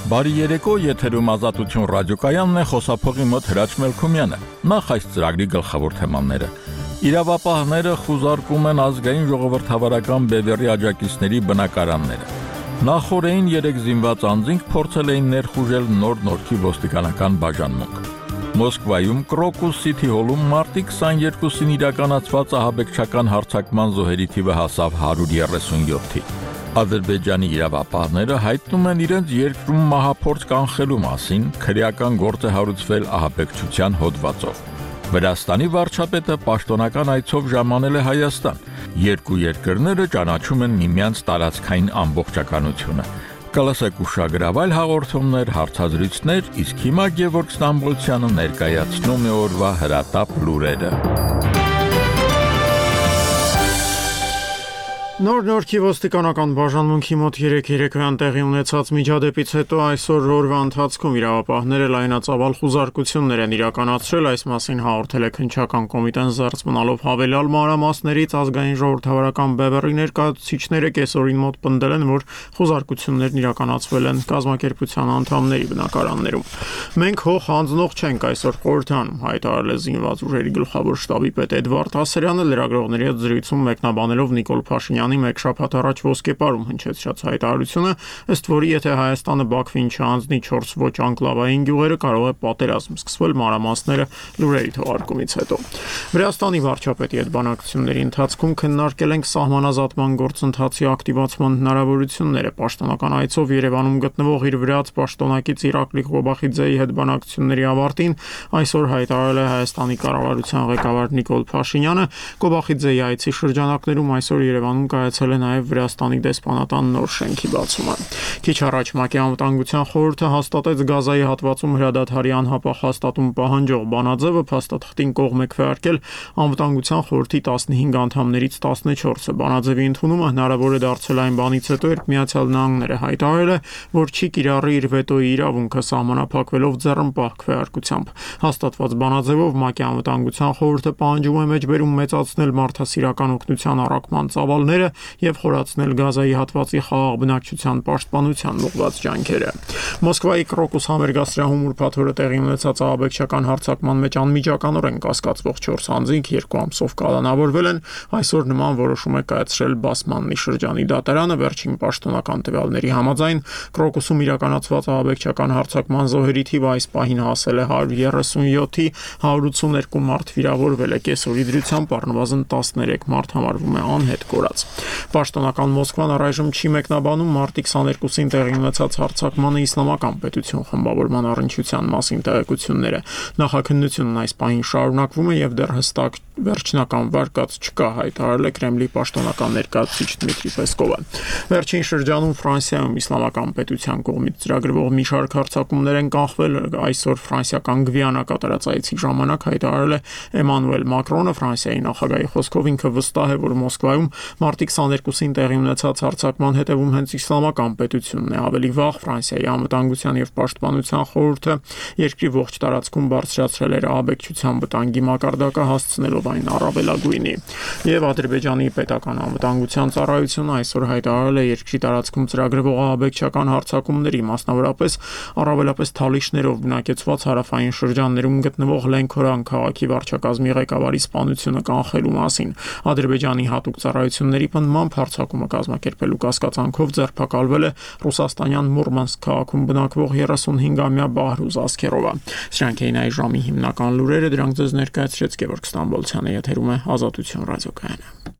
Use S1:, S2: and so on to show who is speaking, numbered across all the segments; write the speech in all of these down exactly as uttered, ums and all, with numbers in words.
S1: Բարի երեկո, եթերում Ազատություն ռադիոկայանն է, խոսափողի մոտ Հրաչ Մելքումյանը։ Նախ այս ծրագրի գլխավոր թեմաները։ Իրավապահները խուզարկում են ազգային ժողովրդավարական բևեռի աջակիցների բնակարանները։ Նախորդին երեք զինված անձինք փորձել էին ներխուժել Նոր Նորքի ոստիկանական բաժանմունք։ Մոսկվայում Կրոկուս Սիթի հոլում մարտի քսաներկուսին իրականացված ահաբեկչական հարձակման զոհերի թիվը հասավ հարյուր երեսունյոթի։ Ադրբեջանի իրավապահները հայտնում են իրենց երկրում մահափորձ կանխելու մասին, քրեական գործ է հարուցվել ահաբեկչության հոդվածով։ Վրաստանի վարչապետը պաշտոնական այցով ժամանել է Հայաստան։ Երկու երկրները ճանաչում են միմյանց տարածքային ամբողջականությունը։ Կլասեք ուշագրավայլ հաղորդումներ, հարցազրույցներ, իսկ հիմա Գևորգ Ստամբոլցյանը ներկայացնում է օրվա հրատապ լուրերը։
S2: Նոր Նորքի ոստիկանական բաժանմունքի մոտ երեք երեկոյան տեղի ունեցած միջադեպից հետո այսօր օրվա ընթացքում իրավապահները լայնածավալ խուզարկություններ են իրականացրել, այս մասին հաղորդել է քննչական կոմիտեն զերծ մնալով հավելյալ մանրամասներից ազգային ժողովրդավարական բևեռի ներկայացուցիչները կեսօրին մոտ պնդել են, որ խուզարկություններն իրականացվել են կազմակերպության անդամների բնակարաններում։ Մենք հող հանձնող չենք այսօր խորհրդանում, հայտարարել է զինված ուժերի գլխավոր շտաբի պետ Էդվարդ Ասրյանը լրագրողների հետ զրույցում մեկնաբանելով Նիկոլ Փաշինյանի մեկ շաբաթ առաջ ոսկեպարում հնչեցրած հայտարարությունը, ըստ որի եթե Հայաստանը Բաքվին չհանձնի չորս ոչ անկլավային գյուղերը, կարող է պատերազմ սկսվել մանրամասները լուրերի թողարկումից հետո։ Վրաստանի վարչապետի հետ բանակցությունների ընթացքում քննարկել ենք սահմանազատման գործընթացի ակտիվացման հնարավորությունները։ Պաշտոնական այցով Երևանում գտնվող իր վրաց պաշտոնակից Իրակլի Ղոբախիձեի հետ բանակցությունների ավարտին այսօր հայտարարել է Հայաստանի կառավարության ղեկավար Նիկոլ Փաշինյանը։ Ղոբախիձեի այցի շրջանակներում այսօր Երևանում կայացել է նաև Վրաստանի դեսպանատան նոր շենքի բացումը։ Քիչ առաջ ՄԱԿ-ի անվտանգության խորհուրդը հաստատեց Գազայի հատվածում հրադադարի անհապաղ հաստատում պահանջող բանաձևը, փաստաթղթին կողմ է քվեարկել անվտանգության խորհրդի տասնհինգ անդամներից տասնչորսը։ Բանաձևի ընդունումը հնարավոր է դարձել այն բանից հետո, երբ Միացյալ Նահանգները հայտարարել է, որ չի կիրառի իր վետոյի իրավունքը սահմանափակվելով ձեռնպահ քվեարկությամբ։ Հաստատված բանաձևով ՄԱԿ-ի անվտանգության խորհուրդը պահանջում է մեջբերում մեծացնել մարդասիրական օգնության առաքման ծավալները եւ խորացնել Գազայի հատվածի խաղաղ բնակչության պաշտպանության ուղղված ջանքերը։ Մոսկվայի Կրոկուս համերգասրահում ուրբաթ օրը տեղի ունեցած ահաբեկչական հարձակման մեջ անմիջականորեն կասկածվող չորս անձինք երկու ամսով կալանավորվել են։ Այսօր նման որոշում է կայացրել Բասմաննի շրջանի դատարանը։ Վերջին պաշտոնական տվյալների համաձայն Կրոկուսում իրականացված ահաբեկչական հարձակման զոհերի թիվը այս պահին հասել է հարյուր երեսունյոթի, հարյուր ութսուներկու մարդ վիրավորվել է։ Կեսօրի դրությամբ առնվազն տասներեք մարդ համարվում է անհետ կորած։ Պաշտոնական Մոսկվան առայժմ չի մեկնաբանում մարտի քսաներկուսին տեղի ունեցած հարձակմանը իսլամական պետություն խմբավորման առնչության մասին տեղեկությունները։ Նախաքննությունն այս պահին շարունակվում է եւ դեռ հստակ վերջնական վարկած չկա, հայտարարել է Կրեմլի պաշտոնական ներկայացուցիչ Դմիտրի Պեսկովը։ Վերջին շրջանում Ֆրանսիայում իսլամական պետության կողմից ծրագրվող մի շարք հարձակումներ են կանխվել։ Այսօր ֆրանսիական Գվիանա կատարած այցի ժամանակ հայտարարել է Էմանուել Մակրոնը, Ֆրանսիայի նախագահի խոսքով ինքը վստահ է, որ Մոսկվայում մարտի քսաներկուսին տեղի ունեցած հարձակման հետևում հենց իսլամական պետությունն է։ Ավելի վաղ Ֆրանսիայի անվտանգության եւ պաշտպանության խորհուրդը երկրի ողջ տարածքում բարձրացրել էր ահաբեկչության վտանգի մակարդակը, հասցնելով այն առավելագույնի։ Եվ Ադրբեջանի պետական անվտանգության ծառայությունը այսօր հայտարարել է երկրի տարածքում ծրագրվող ահաբեկչական հարձակումների, մասնավորապես առավելապես թալիշներով բնակեցված հարավային շրջաններում գտնվող Լենքորան քաղաքի վարչակազմի ղեկավարի սպանությունը կանխելու մասին։ Ադրբեջանի հատուկ ծառայությունների պնդմամբ հարձակումը կազմակերպելու կասկածանքով ձերբակալվել է ռուսաստանյան Մուրմանսկ քաղաքում բնակվող երեսունհինգամյա Բահրուզ Ասքերովը։ Սրանք էին այս ժամի հիմնական լուրերը, դրանք ձեզ ներկայացրեց Գևորգ Ստամբոլցյանը, եթերում է Ազատություն ռադիոկայանը։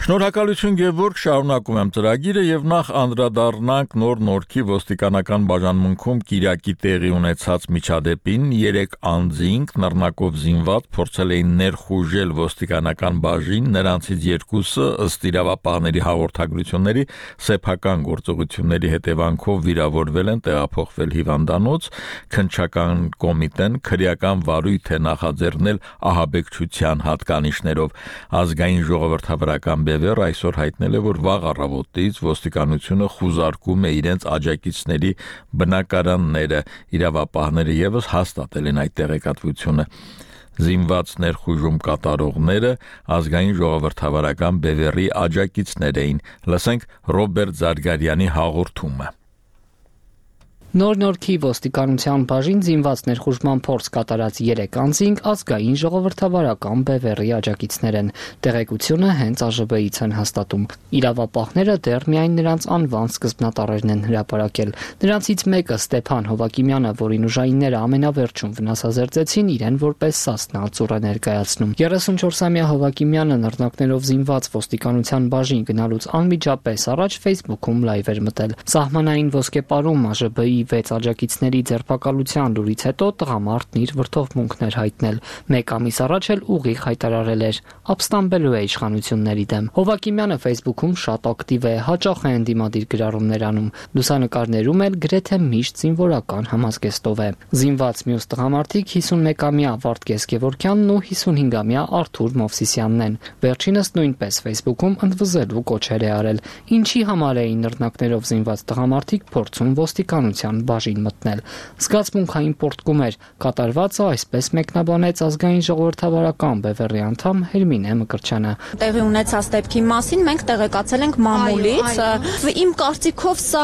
S1: Շնորհակալություն Գևորգ, շարունակում եմ ծրագիրը եւ նախ անդրադառնանք Նոր Նորքի ոստիկանական բաժանմունքում Կիրակի տեղի ունեցած միջադեպին։ Երեք անձինք նռնակով զինված փորձել էին ներխուժել ոստիկանական բաժին, նրանցից երկուսը ըստ իրավապահների հաղորդագրությունների սեփական գործողությունների հետևանքով վիրավորվել են, տեղափոխվել հիվանդանոց։ Քննչական կոմիտեն քրեական վարույթ է նախաձեռնել ահաբեկչության հատկանիշներով ազգային ժողովրդավարական Բևերը այսօր հայտնել է, որ վաղ առավոտից ոստիկանությունը խուզարկում է իրենց աջակիցների բնակարանները, իրավապահները ևս հաստատել են այդ տեղեկատվությունը։ Զինված ներխուժում կատարողները ազգային ժողովրդավարական Բևերի աջակիցներ էին։ Լսենք Ռոբերտ Զարգարյանի հաղորդումը։
S3: Նոր Նորքի ոստիկանության բաժին զինված ներխուժման փորձ կատարած երեք անձինք ազգային ժողովրդավարական Բևերի աջակիցներ են։ Տեղեկությունը հենց ԱԺԲ-ից են հաստատում։ Իրավապահները դեռ միայն նրանց անվան սկզբնատառերն են հրապարակել։ Նրանցից մեկը Ստեփան Հովակիմյանը, որին ուժայինները ամենավերջում վնասազերծեցին, իրեն որպես Սասնա ծուռ է ներկայացնում։ երեսունչորսամյա Հովակիմյանը նռնակներով զինված ոստիկանության բաժին գնալուց անմիջապես առաջ Facebook-ում լայվ էր մտել։ Սահմանային ոսկեպարում ԱԺԲ-ի վեց աջակիցների ձերբակալության լուրից հետո տղամարդն իր վրդովմունքներ հայտնել։ Մեկ ամիս առաջ էլ ուղիղ հայտարարել էր ապստամբելու է իշխանությունների դեմ։ Հովակիմյանը Facebook-ում շատ ակտիվ է, հաճախ է ընդդիմադիր գրառումներ անում։ Լուսանկարներում էլ գրեթե միշտ զինվորական համազգեստով է։ Զինված մյուս տղամարդիկ հիսունմեկամյա Վարդգես Գևորգյանն ու հիսունհինգամյա Արթուր Մովսիսյանն են։ Վերջինս նույնպես Facebook-ում ընդվզելու կոչեր է արել։ Ինչի համար էին նռնակներով զինված տղամարդիկ փորձում ոստիկանության բաժին մտնել։ Զգացմունքային պոռթկում էր, կատարվածը այսպես մեկնաբանեց ազգային ժողովրդավարական Բևերի անդամ Հերմինե Մկրտչյանը։
S4: Տեղի ունեցած դեպքի մասին մենք տեղեկացել ենք մամուլից։ Իմ կարծիքով սա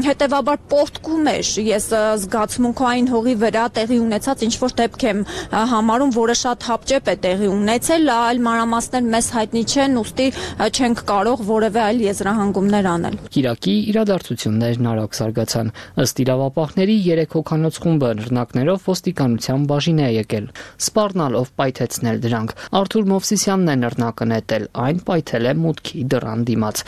S4: հետևաբար պոռթկում էր։ Ես զգացմունքային հողի վրա տեղի ունեցած ինչ-որ դեպք եմ համարում, որը շատ հապճեպ է տեղի ունեցել, այլ մանրամասներ մեզ հայտնի չեն, ուստի չենք կարող որևէ այլ եզրահանգումներ անել։
S3: Կիրակի իրադարձություններն արագ զարգացան։ Ըստ իրավապահների երեք հոգանոց խումբը նռնակներով ոստիկանության բաժին է եկել, սպառնալով պայթեցնել դրանք։ Արթուր Մովսիսյանն է նռնակը նետել, այն պայթել է մուտքի դռան դիմաց։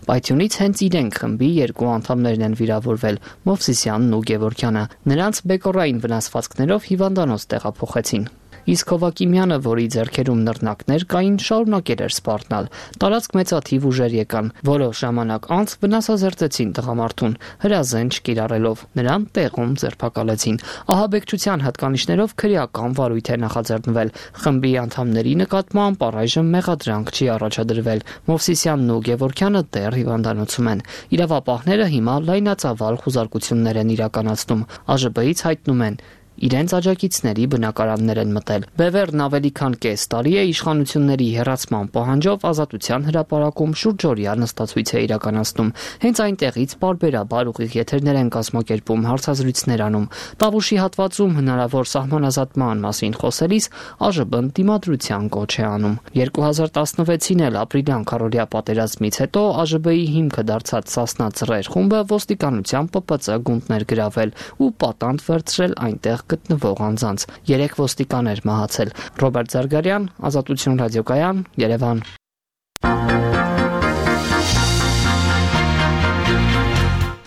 S3: Պայթյունից հենց իրենք խմբի երկու անդամներն են վիրավորվել՝ Մովսիսյանն ու Գևորգյանը։ Նրանց բեկորային վնասվածքներով հիվանդանոց տեղափոխեցին։ Իսկ Հովակիմյանը, որի ձեռքերում նռնակներ կային, շարունակել էր սպառնալ։ Տարածք մեծաթիվ ուժեր եկան, որոշ ժամանակ անց վնասազերծեցին տղամարդուն, հրազեն չկիրառելով, նրան տեղում ձերբակալեցին։ Ահաբեկչության հատկանիշներով քրեական վարույթ է նախաձեռնվել։ Խմբի անդամների նկատմամբ առայժմ մեղադրանք չի առաջադրվել։ Մովսիսյանն ու Գևորգյանը դեռ հիվանդանոցում են։ Իրավապահները հիմա լայնածավալ խուզարկություններ են իրականացնում։ ԱԺԲ-ից հայտնում են, իրենց աջակիցների բնակարաններ են մտել։ Բևերն ավելի քան կես տարի է իշխանությունների հեռացման պահանջով ազատության հրապարակում շուրջօրյա նստացույց է իրականացնում։ Հենց այնտեղից պարբերաբար ուղիղ եթերներ են կազմակերպում, հարցազրույցներ անում։ Տավուշի հատվածում հնարավոր սահմանազատման մասին խոսելիս ԱԺԲ-ն դիմադրության կոչ է անում։ երկու հազար տասնվեցին էլ ապրիլյան քառօրյա պատերազմից հետո ԱԺԲ-ի հիմքը դարձած Սասնա ծռեր խումբը ոստիկանության ՊՊՑ գունդներ գրավել ու պատանդ վերցրել այնտեղ գտնվող անձանց։ Երեք ոստիկան էր մահացել։ Ռոբերտ Զարգարյան, Ազատություն ռադիոկայան, Երևան։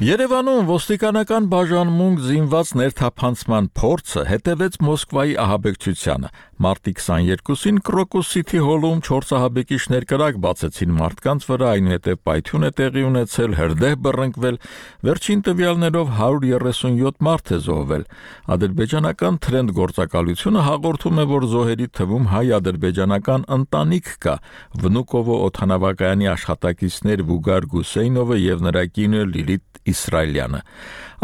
S1: Երևանում ոստիկանական բաժանմունք զինված ներթափանցման փորձը հետևեց Մոսկվայի ահաբեկչությանը։ Մարտի քսաներկուսին Crocus City Hall-ում չորս ահաբեկիչներ կրակ բացեցին մարդկանց վրա, այնուհետև պայթյուն է տեղի ունեցել, հրդեհ բռնկվել, վերջին տվյալներով հարյուր երեսունյոթ մարդ է զոհվել։ Ադրբեջանական Trend գործակալությունը հաղորդում է, որ զոհերի թվում հայ-ադրբեջանական ընտանիք կա։ Վնուկովո օդանավակայանի աշխատակիցներ Վուգար Գուսեյնովը եւ նրա կինը Լիլիթ Իսրայելյանը։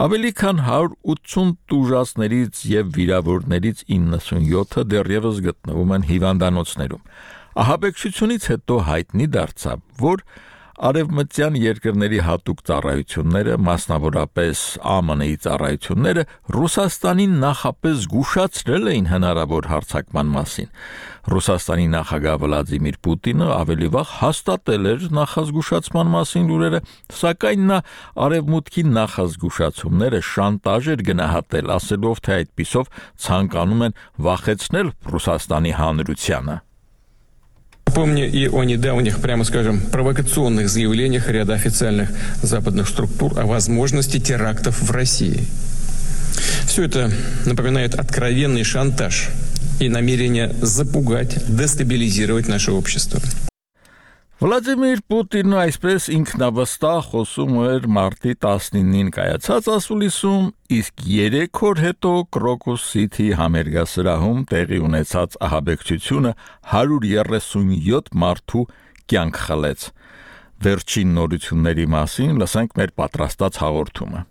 S1: Ավելի քան հարյուր ութսուն տուժածներից եւ վիրավորներից իննսունյոթը դեռևս գտնվում են հիվանդանոցներում։ Ահաբեկչությունից հետո հայտնի դարձավ, որ արևմտյան երկրների հատուկ ծառայությունները, մասնավորապես ԱՄՆ-ի ծառայությունները, Ռուսաստանին նախապես զգուշացրել էին հնարավոր հարձակման մասին։ Ռուսաստանի նախագահ Վլադիմիր Պուտինը ավելի վաղ հաստատել էր նախազգուշացման մասին լուրերը, սակայն նա արևմուտքի նախազգուշացումները շանտաժ էր գնահատել, ասելով, թե այդպիսով ցանկանում են վախեցնել Ռուսաստանի հանրությանը։
S5: Помню и о недавних, прямо скажем, провокационных заявлениях ряда официальных западных структур о возможности терактов в России. Все это напоминает откровенный шантаж и намерение запугать, дестабилизировать наше общество.
S1: Վլադիմիր Պուտինն այսպես ինքնավստահ խոսում էր մարտի տասնինին կայացած ասուլիսում, իսկ երեք օր հետո Crocus City համերգասրահում տեղի ունեցած ահաբեկչությունը հարյուր երեսունյոթ մարդու կյանք խլեց։ Վերջին նորությունների մասին լսենք մեր պատրաստած հաղորդումը։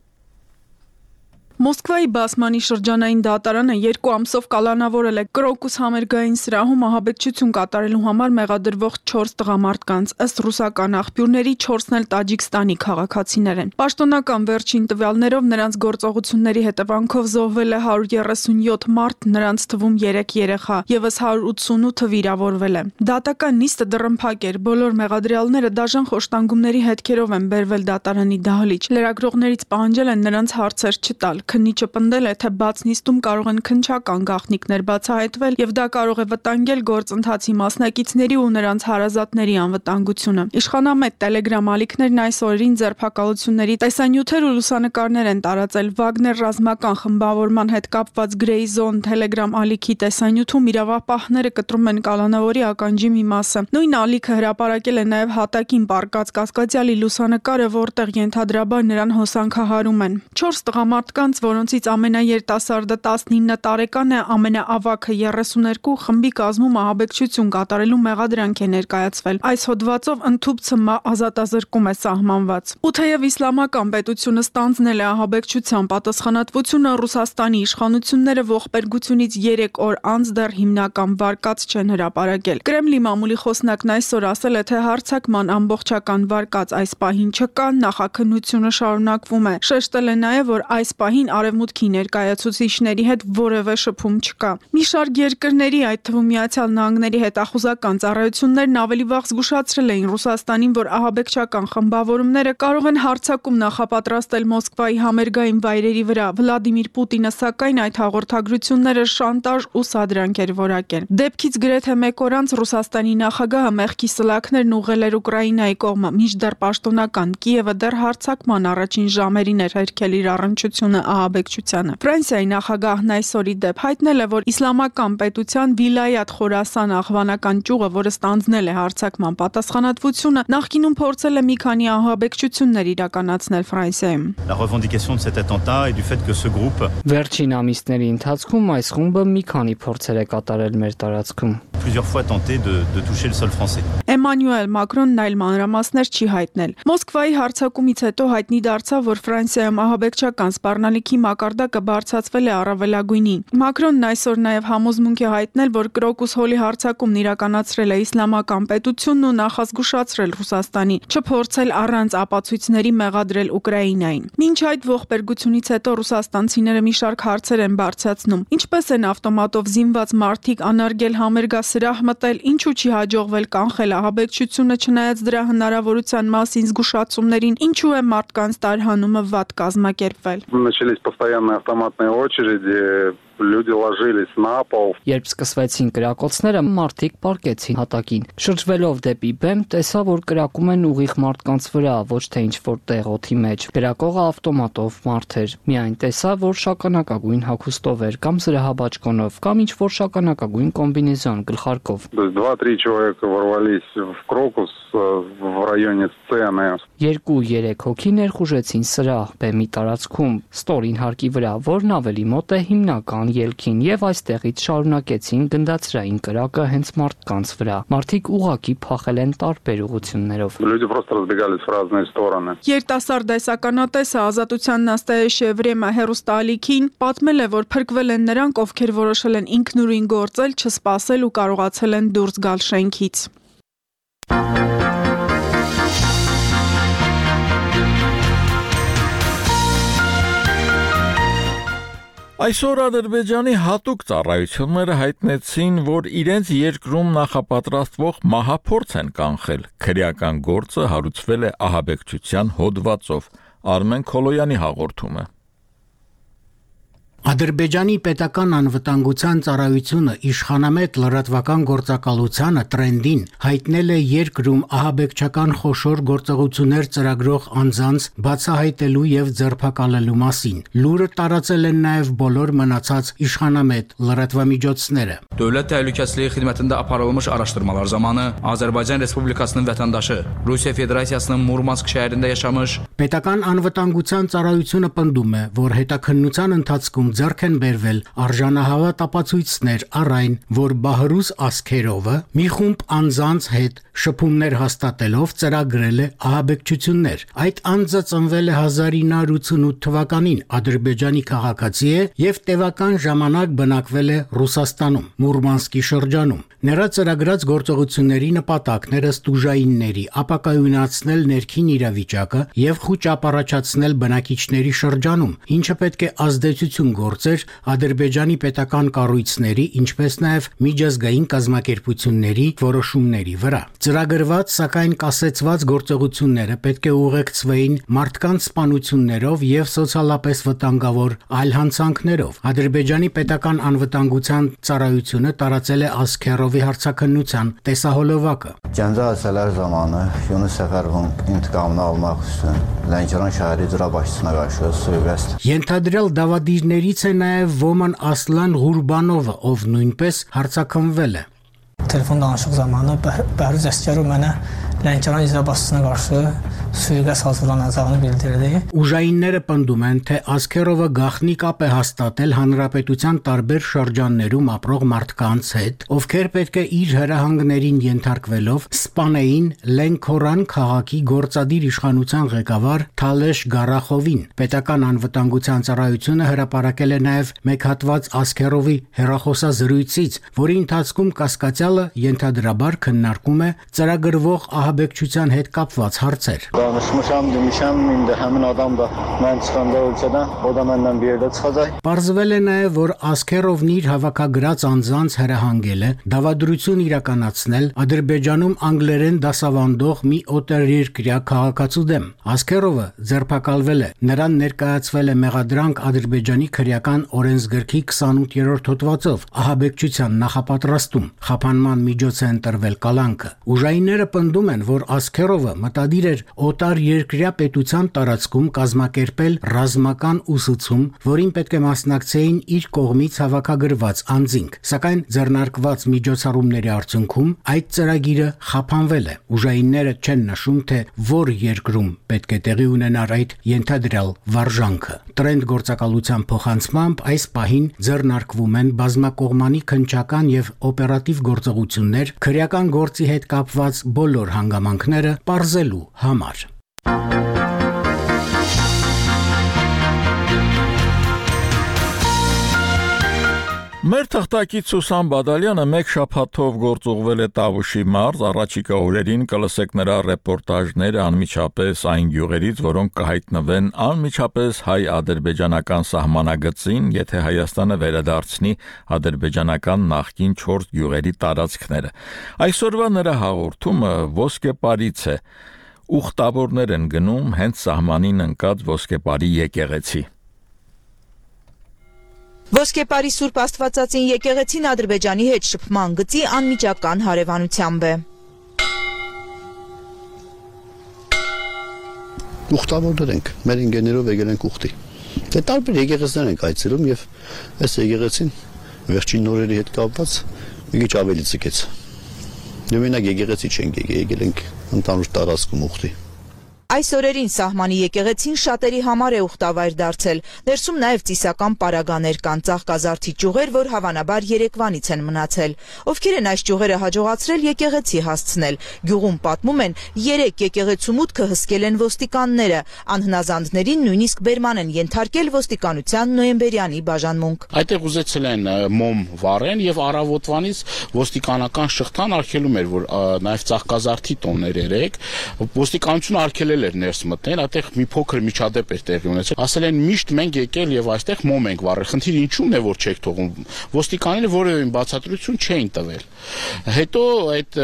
S6: Մոսկվայի Բասմանի շրջանային դատարանը երկու ամսով կալանավորել է Crocus համերգային սրահում ահաբեկչություն կատարելու համար մեղադրվող չորս տղամարդկանց, ըստ ռուսական աղբյուրների չորսն էլ Տաջիկստանի քաղաքացիներ են։ Պաշտոնական վերջին տվյալներով նրանց գործողությունների հետևանքով զոհվել է հարյուր երեսունյոթ մարդ, նրանց թվում երեք երեխա, ևս հարյուր ութսունութը վիրավորվել է։ Դատական նիստը դռնփակ էր, բոլոր մեղադրյալները դաժան խոշտանգումների հետքերով են բերվել դատարանի դահլիճ։ Լրագրողներից պահանջել են նրանց հարցեր չտալ։ Քննիչը պնդել է, թե բաց նիստում կարող են քննչական գաղտնիքներ բացահայտվել եւ դա կարող է վտանգել գործընթացի մասնակիցների ու նրանց հարազատների անվտանգությունը։ Իշխանամետ Telegram ալիքներն այս օրերին ձերբակալությունների տեսանյութեր ու լուսանկարներ են տարածել։ Վագներ ռազմական խմբավորման հետ կապված Grey Zone Telegram ալիքի տեսանյութում իրավապահները կտրում են կալանավորի ականջի մի մասը։ Նույն ալիքը հրապարակել է նաեւ հատակին պարկած կասկածյալի լուսանկարը, որտեղ ենթադրաբար նրան հոսանքահարում են։ Չորս տղամարդկանց, որոնցից ամենաերիտասարդը տասնինը տարեկան է, ամենաավագը երեսուներկու, խմբի կազմում ահաբեկչություն կատարելու մեղադրանք է ներկայացվել։ Այս հոդվածով ընդհուպ ցմահ ազատազրկում է սահմանված։ Ու թեև իսլամական պետությունը ստանձնել է ահաբեկչության պատասխանատվությունը, Ռուսաստանի իշխանությունները ողբերգությունից երեք օր անց դեռ հիմնական վարկած չեն հրապարակել։ Կրեմլի մամուլի խոսնակն այսօր ասել է, թե հարձակման ամբողջական վարկած այս պահին չկա, նախաքննությունը շարունակվում է։ Շեշտել է նաև, որ այս պահին Արևմուտքի ներկայացուցիչների հետ որևէ շփում չկա։ Մի շարք երկրների, այդ թվում Միացյալ Նահանգների հետախուզական ծառայություններն ավելի վաղ զգուշացրել էին Ռուսաստանին, որ ահաբեկչական խմբավորումները կարող են հարձակում նախապատրաստել Մոսկվայի համերգային վայրերի վրա։ Վլադիմիր Պուտինը սակայն այդ հաղորդագրությունները շանտաժ ու սադրանք էր որակել։ Դեպքից գրեթե մեկ օր անց Ռուսաստանի նախագահը մեղքի սլաքներն ուղղել էր Ուկրաինայի կողմը, մինչդեռ պաշտոնական Կիևը դեռ հարձակման առաջին ժամերին էր հերքել իր առնչությունը ահաբեկչությանը։ Ֆրանսիայի նախագահն այսօր ի դեպ հայտնել է, որ իսլամական պետության Վիլայաթ Խորասան աղվանական ճյուղը, որը ստանձնել է հարձակման պատասխանատվությունը, նախկինում փորձել է մի քանի ահաբեկչություններ իրականացնել Ֆրանսիայում։
S7: La revendication de cet attentat et du fait que ce groupe
S3: Վերջին ամիսների ընթացքում այս խումբը մի քանի փորձեր է կատարել մեր տարածքում։
S7: plusieurs fois tenté de de toucher le sol français.
S6: Էմանուել Մակրոնն այլ մանրամասներ չի հայտնել։ Մոսկվայի հարձակումից հետո հայտնի դարձավ, որ Ֆրանսիայում ահաբեկչական սպառնալիքի մակարդակը բարձրացվել է առավելագույնին։ Մակրոնն այսօր նաև համոզմունք է հայտնել, որ Crocus Hall-ի հարձակումն իրականացրել է իսլամական պետությունն ու նախազգուշացրել Ռուսաստանին, չփորձել առանց ապացույցների մեղադրել Ուկրաինային։ Մինչ այդ ողբերգությունից հետո ռուսաստանցիները մի շարք հարցեր են բարձրացնում։ Ինչպես են ավտոմատով զինված մարդիկ անարգել համերգասրահ մտել, ինչու չի հաջողվել կանխել ահաբեկչությունը, չնայած дրա հնարավորության մասին զգուշացումներին, ինչու է մարդկանց տարհանումը վատ կազմակերպվել։
S8: Начались постоянные автоматные очереди, люди ложились на пол.
S3: Երբ սկսվեցին կրակոցները, մարդիկ պառկեցին հատակին։ Շրջվելով դեպի բեմ, տեսա, որ կրակում են ուղիղ մարդկանց վրա, ոչ թե ինչ-որ տեղ օդի մեջ։ Կրակողը ավտոմատով մարդ էր։ Միայն տեսա, որ շագանակագույն հագուստով էր, կամ զրահաբաճկոնով, կամ ինչ-որ շագանակագույն կոմբինեզոն գլխարկով։
S8: Два-три человека ворвались в Crocus в районе сцены.
S3: Երկու-երեք հոգի ներխուժեցին սրահ բեմի տարածքում, ստորին հարկի վրա, որն ավելի մոտ է հիմնական ելքին, եւ այստեղից շարունակեցին գնդացրային կրակը հենց մարդկանց վրա։ Մարդիկ ուղակի փախել են տարբեր ուղություններով։
S8: Люди просто разбегались в разные стороны.
S6: Երիտասարդ դեսականատեսը Ազատության նաստայեշ Եվրեմա հերոստալիքին պատմել է, որ փրկվել են նրանք, ովքեր որոշել են ինքնուրույն գործել, չսպասել ու կարողացել են դուրս գալ շենքից։
S1: Այսօր Ադրբեջանի հատուկ ծառայությունները հայտնեցին, որ իրենց երկրում նախապատրաստվող մահափորձ են կանխել։ Քրեական գործը հարուցվել է ահաբեկչության հոդվածով։ Արմեն Քոլոյանի հաղորդումը։
S9: Ադրբեջանի պետական անվտանգության ծառայությունը իշխանամետ լրատվական գործակալությանը տրենդին հայտնել է երկրում ահաբեկչական խոշոր գործողություններ ծրագրող անձանց բացահայտելու եւ ձերբակալելու մասին։ Լուրը տարածել են նաեւ բոլոր մնացած իշխանամետ լրատվամիջոցները։
S10: Dövlət Təhlükəsizliyi Xidmətində aparılmış araşdırmalar zamanı Azərbaycan Respublikasının vətəndaşı Rusiya Federasiyasının Murmansk şəhərində yaşamış
S9: Պետական անվտանգության ծառայությունը պնդում է, որ հետաքննության ընթացքում ձեռք են բերվել արժանահավատ ապացույցներ առ այն, որ Բահրուս Ասքերովը մի խումբ անձանց հետ շփումներ հաստատելով ծրագրել է ահաբեկչություններ։ Այդ անձը ծնվել է հազար ինը հարյուր ութսունութ թվականին, Ադրբեջանի քաղաքացի է եւ տևական ժամանակ բնակվել է Ռուսաստանում, Մուրմանսկի շրջանում։ Նրա ծրագրած գործողությունների նպատակն էր ըստ ուժայինների ապակայունացնել ներքին իրավիճակը եւ խուճ ապառաջացնել բնակիչների շրջանում, ինչը պետք է ազդեցություն գործեր Ադրբեջանի պետական կառույցների, ինչպես նաեւ միջազգային կազմակերպությունների որոշումների վրա։ Ծրագրված, սակայն կասեցված գործողությունները պետք է ուղեկցվեին մարդկանց սպանություններով եւ սոցիալապես վտանգավոր այլ հանցանքներով։ Ադրբեջանի պետական անվտանգության ծառայությունը տարածել է Ասքերովի հարցաքննության տեսահոլովակը։
S11: Cəza zamanı Yunus Səfərovun intiqamını almaq üçün Lənkəran şəhəri icra başçısına qarşı sui-qəsd
S9: Ենթադրյալ դավադիրներից է նաև Ոման Ասլան Ղուրբանովը, ով նույնպես հարցաքննվել է։
S12: Telefon danışıq zamanı Bəhruz Əsgərov mənə Lənkəran icra başçısına qarşı sui-qəsd hazırlanacağını bildirdi։
S9: Ուժայինները պնդում են, թե Ասքերովը գաղտնի կապ է հաստատել հանրապետության տարբեր շրջաններում ապրող մարդկանց հետ, ովքեր պետք է իր հրահանգներին ենթարկվելով սպանեին Լենքորան քաղաքի գործադիր իշխանության ղեկավար Թալեշ Գարախովին։ Պետական անվտանգության ծառայությունը հրապարակել է նաև մեկ հատված Ասքերովի հեռախոսազրույցից, որի ընթացքում կասկածյալը ենթադրաբար քննարկում է ծրագրվող ահաբեկչության հետ կապված հարցեր։
S11: Danışmışam, demişəm, indi həmin adam da mən çıxanda ölkədən, o da məndən bir yerdə çıxacaq։
S9: Պարզվել է նաև, որ Ասքերովն իր հավաքագրած անձանց հրահանգել է դավադրություն իրականացնել Ադրբեջանում անգլերեն դասավանդող մի օտարերկրյա քաղաքացու դեմ։ Ասքերովը ձերբակալվել է, նրան ներկայացվել է մեղադրանք Ադրբեջանի քրեական օրենսգրքի քսանութերորդ հոդվածով ահաբեկչության նախապատրաստում։ Խափանման միջոց է ընտրվել կալանքը։ Ուժայինները պնդում են, որ Ասքերովը մտադիր էր օտար երկրյա պետության տարածքում կազմակերպել ռազմական ուսուցում, որին պետք է մասնակցեին իր կողմից հավաքագրված անձինք, սակայն ձեռնարկված միջոցառումների արդյունքում այդ ծրագիրը խափանվել է։ Ուժայինները չեն նշում, թե որ երկրում պետք է տեղի ունենար այդ ենթադրյալ վարժանքը։ Տրենդ գործակալության փոխանցմամբ այս պահին ձեռնարկվում են բազմակողմանի քննչական եւ օպերատիվ գործողություններ քրեական գործի հետ կապված բոլոր հանգամանքները պարզելու համար։
S1: Մեր թղթակից Սուսան Բադալյանը մեկ շաբաթով գործուղվել է Տավուշի մարզ, առաջիկա օրերին կլսեք նրա ռեպորտաժները անմիջապես այն գյուղերից, որոնք կհայտնվեն անմիջապես հայ-ադրբեջանական սահմանագծին, եթե Հայաստանը վերադարձնի ադրբեջանական նախկին չորս գյուղերի տարածքները։ Այսօրվա նրա հաղորդումը ոսկեպարից է։ Ուխտավորներ են գնում հենց սահմանին ընկած ոսկեպարի եկեղեցի։
S13: Ոսկեպարի Սուրբ Աստվածածին եկեղեցին Ադրբեջանի հետ շփման գծի անմիջական հարևանությամբ է։
S14: Ուխտավորներ ենք, մեր ինգեներով եկել ենք ուխտի։ Դե տարբեր եկեղեցիներ ենք այցելում եւ այս եկեղեցին վերջին նորերի հետ կապված մի քիչ ավելի ցկեց։ Դե մենակ եկեղեցի չենք եկել, եկել ենք ընդհանուր տարածքում ուխտի։
S13: Այս օրերին սահմանի եկեղեցին շատերի համար է ուխտավայր դարձել։ Ներսում նաև ծիսական պարագաներ կան, ծաղկազարդի ճյուղեր, որ հավանաբար երեկվանից են մնացել։ Ովքեր են այս ճյուղերը հաջողացրել եկեղեցի հասցնել։ Գյուղում պատմում են, երեք եկեղեցու մուտքը հսկել են ոստիկանները։ Անհնազանդներին նույնիսկ բերման են ենթարկել ոստիկանության նոյեմբերյանի բաժանմունք։
S15: Այդտեղ ուզեցել են մոմ վառեն եւ առավոտվանից ոստիկանական շղթան արգելում էր, որ նաև ծաղկազարդի տոններ երեք ոստիկանությունը արգելել էր ներս մտնել, այդտեղ մի փոքր միջադեպ էր տեղի ունեցել։ Ասել են միշտ մենք եկել եւ այստեղ մոմ ենք վառել։ Խնդիրը ինչու՞մն է, որ չեք թողում։ Ոստիկանները որևէ բացատրություն չէին տվել։ Հետո այդ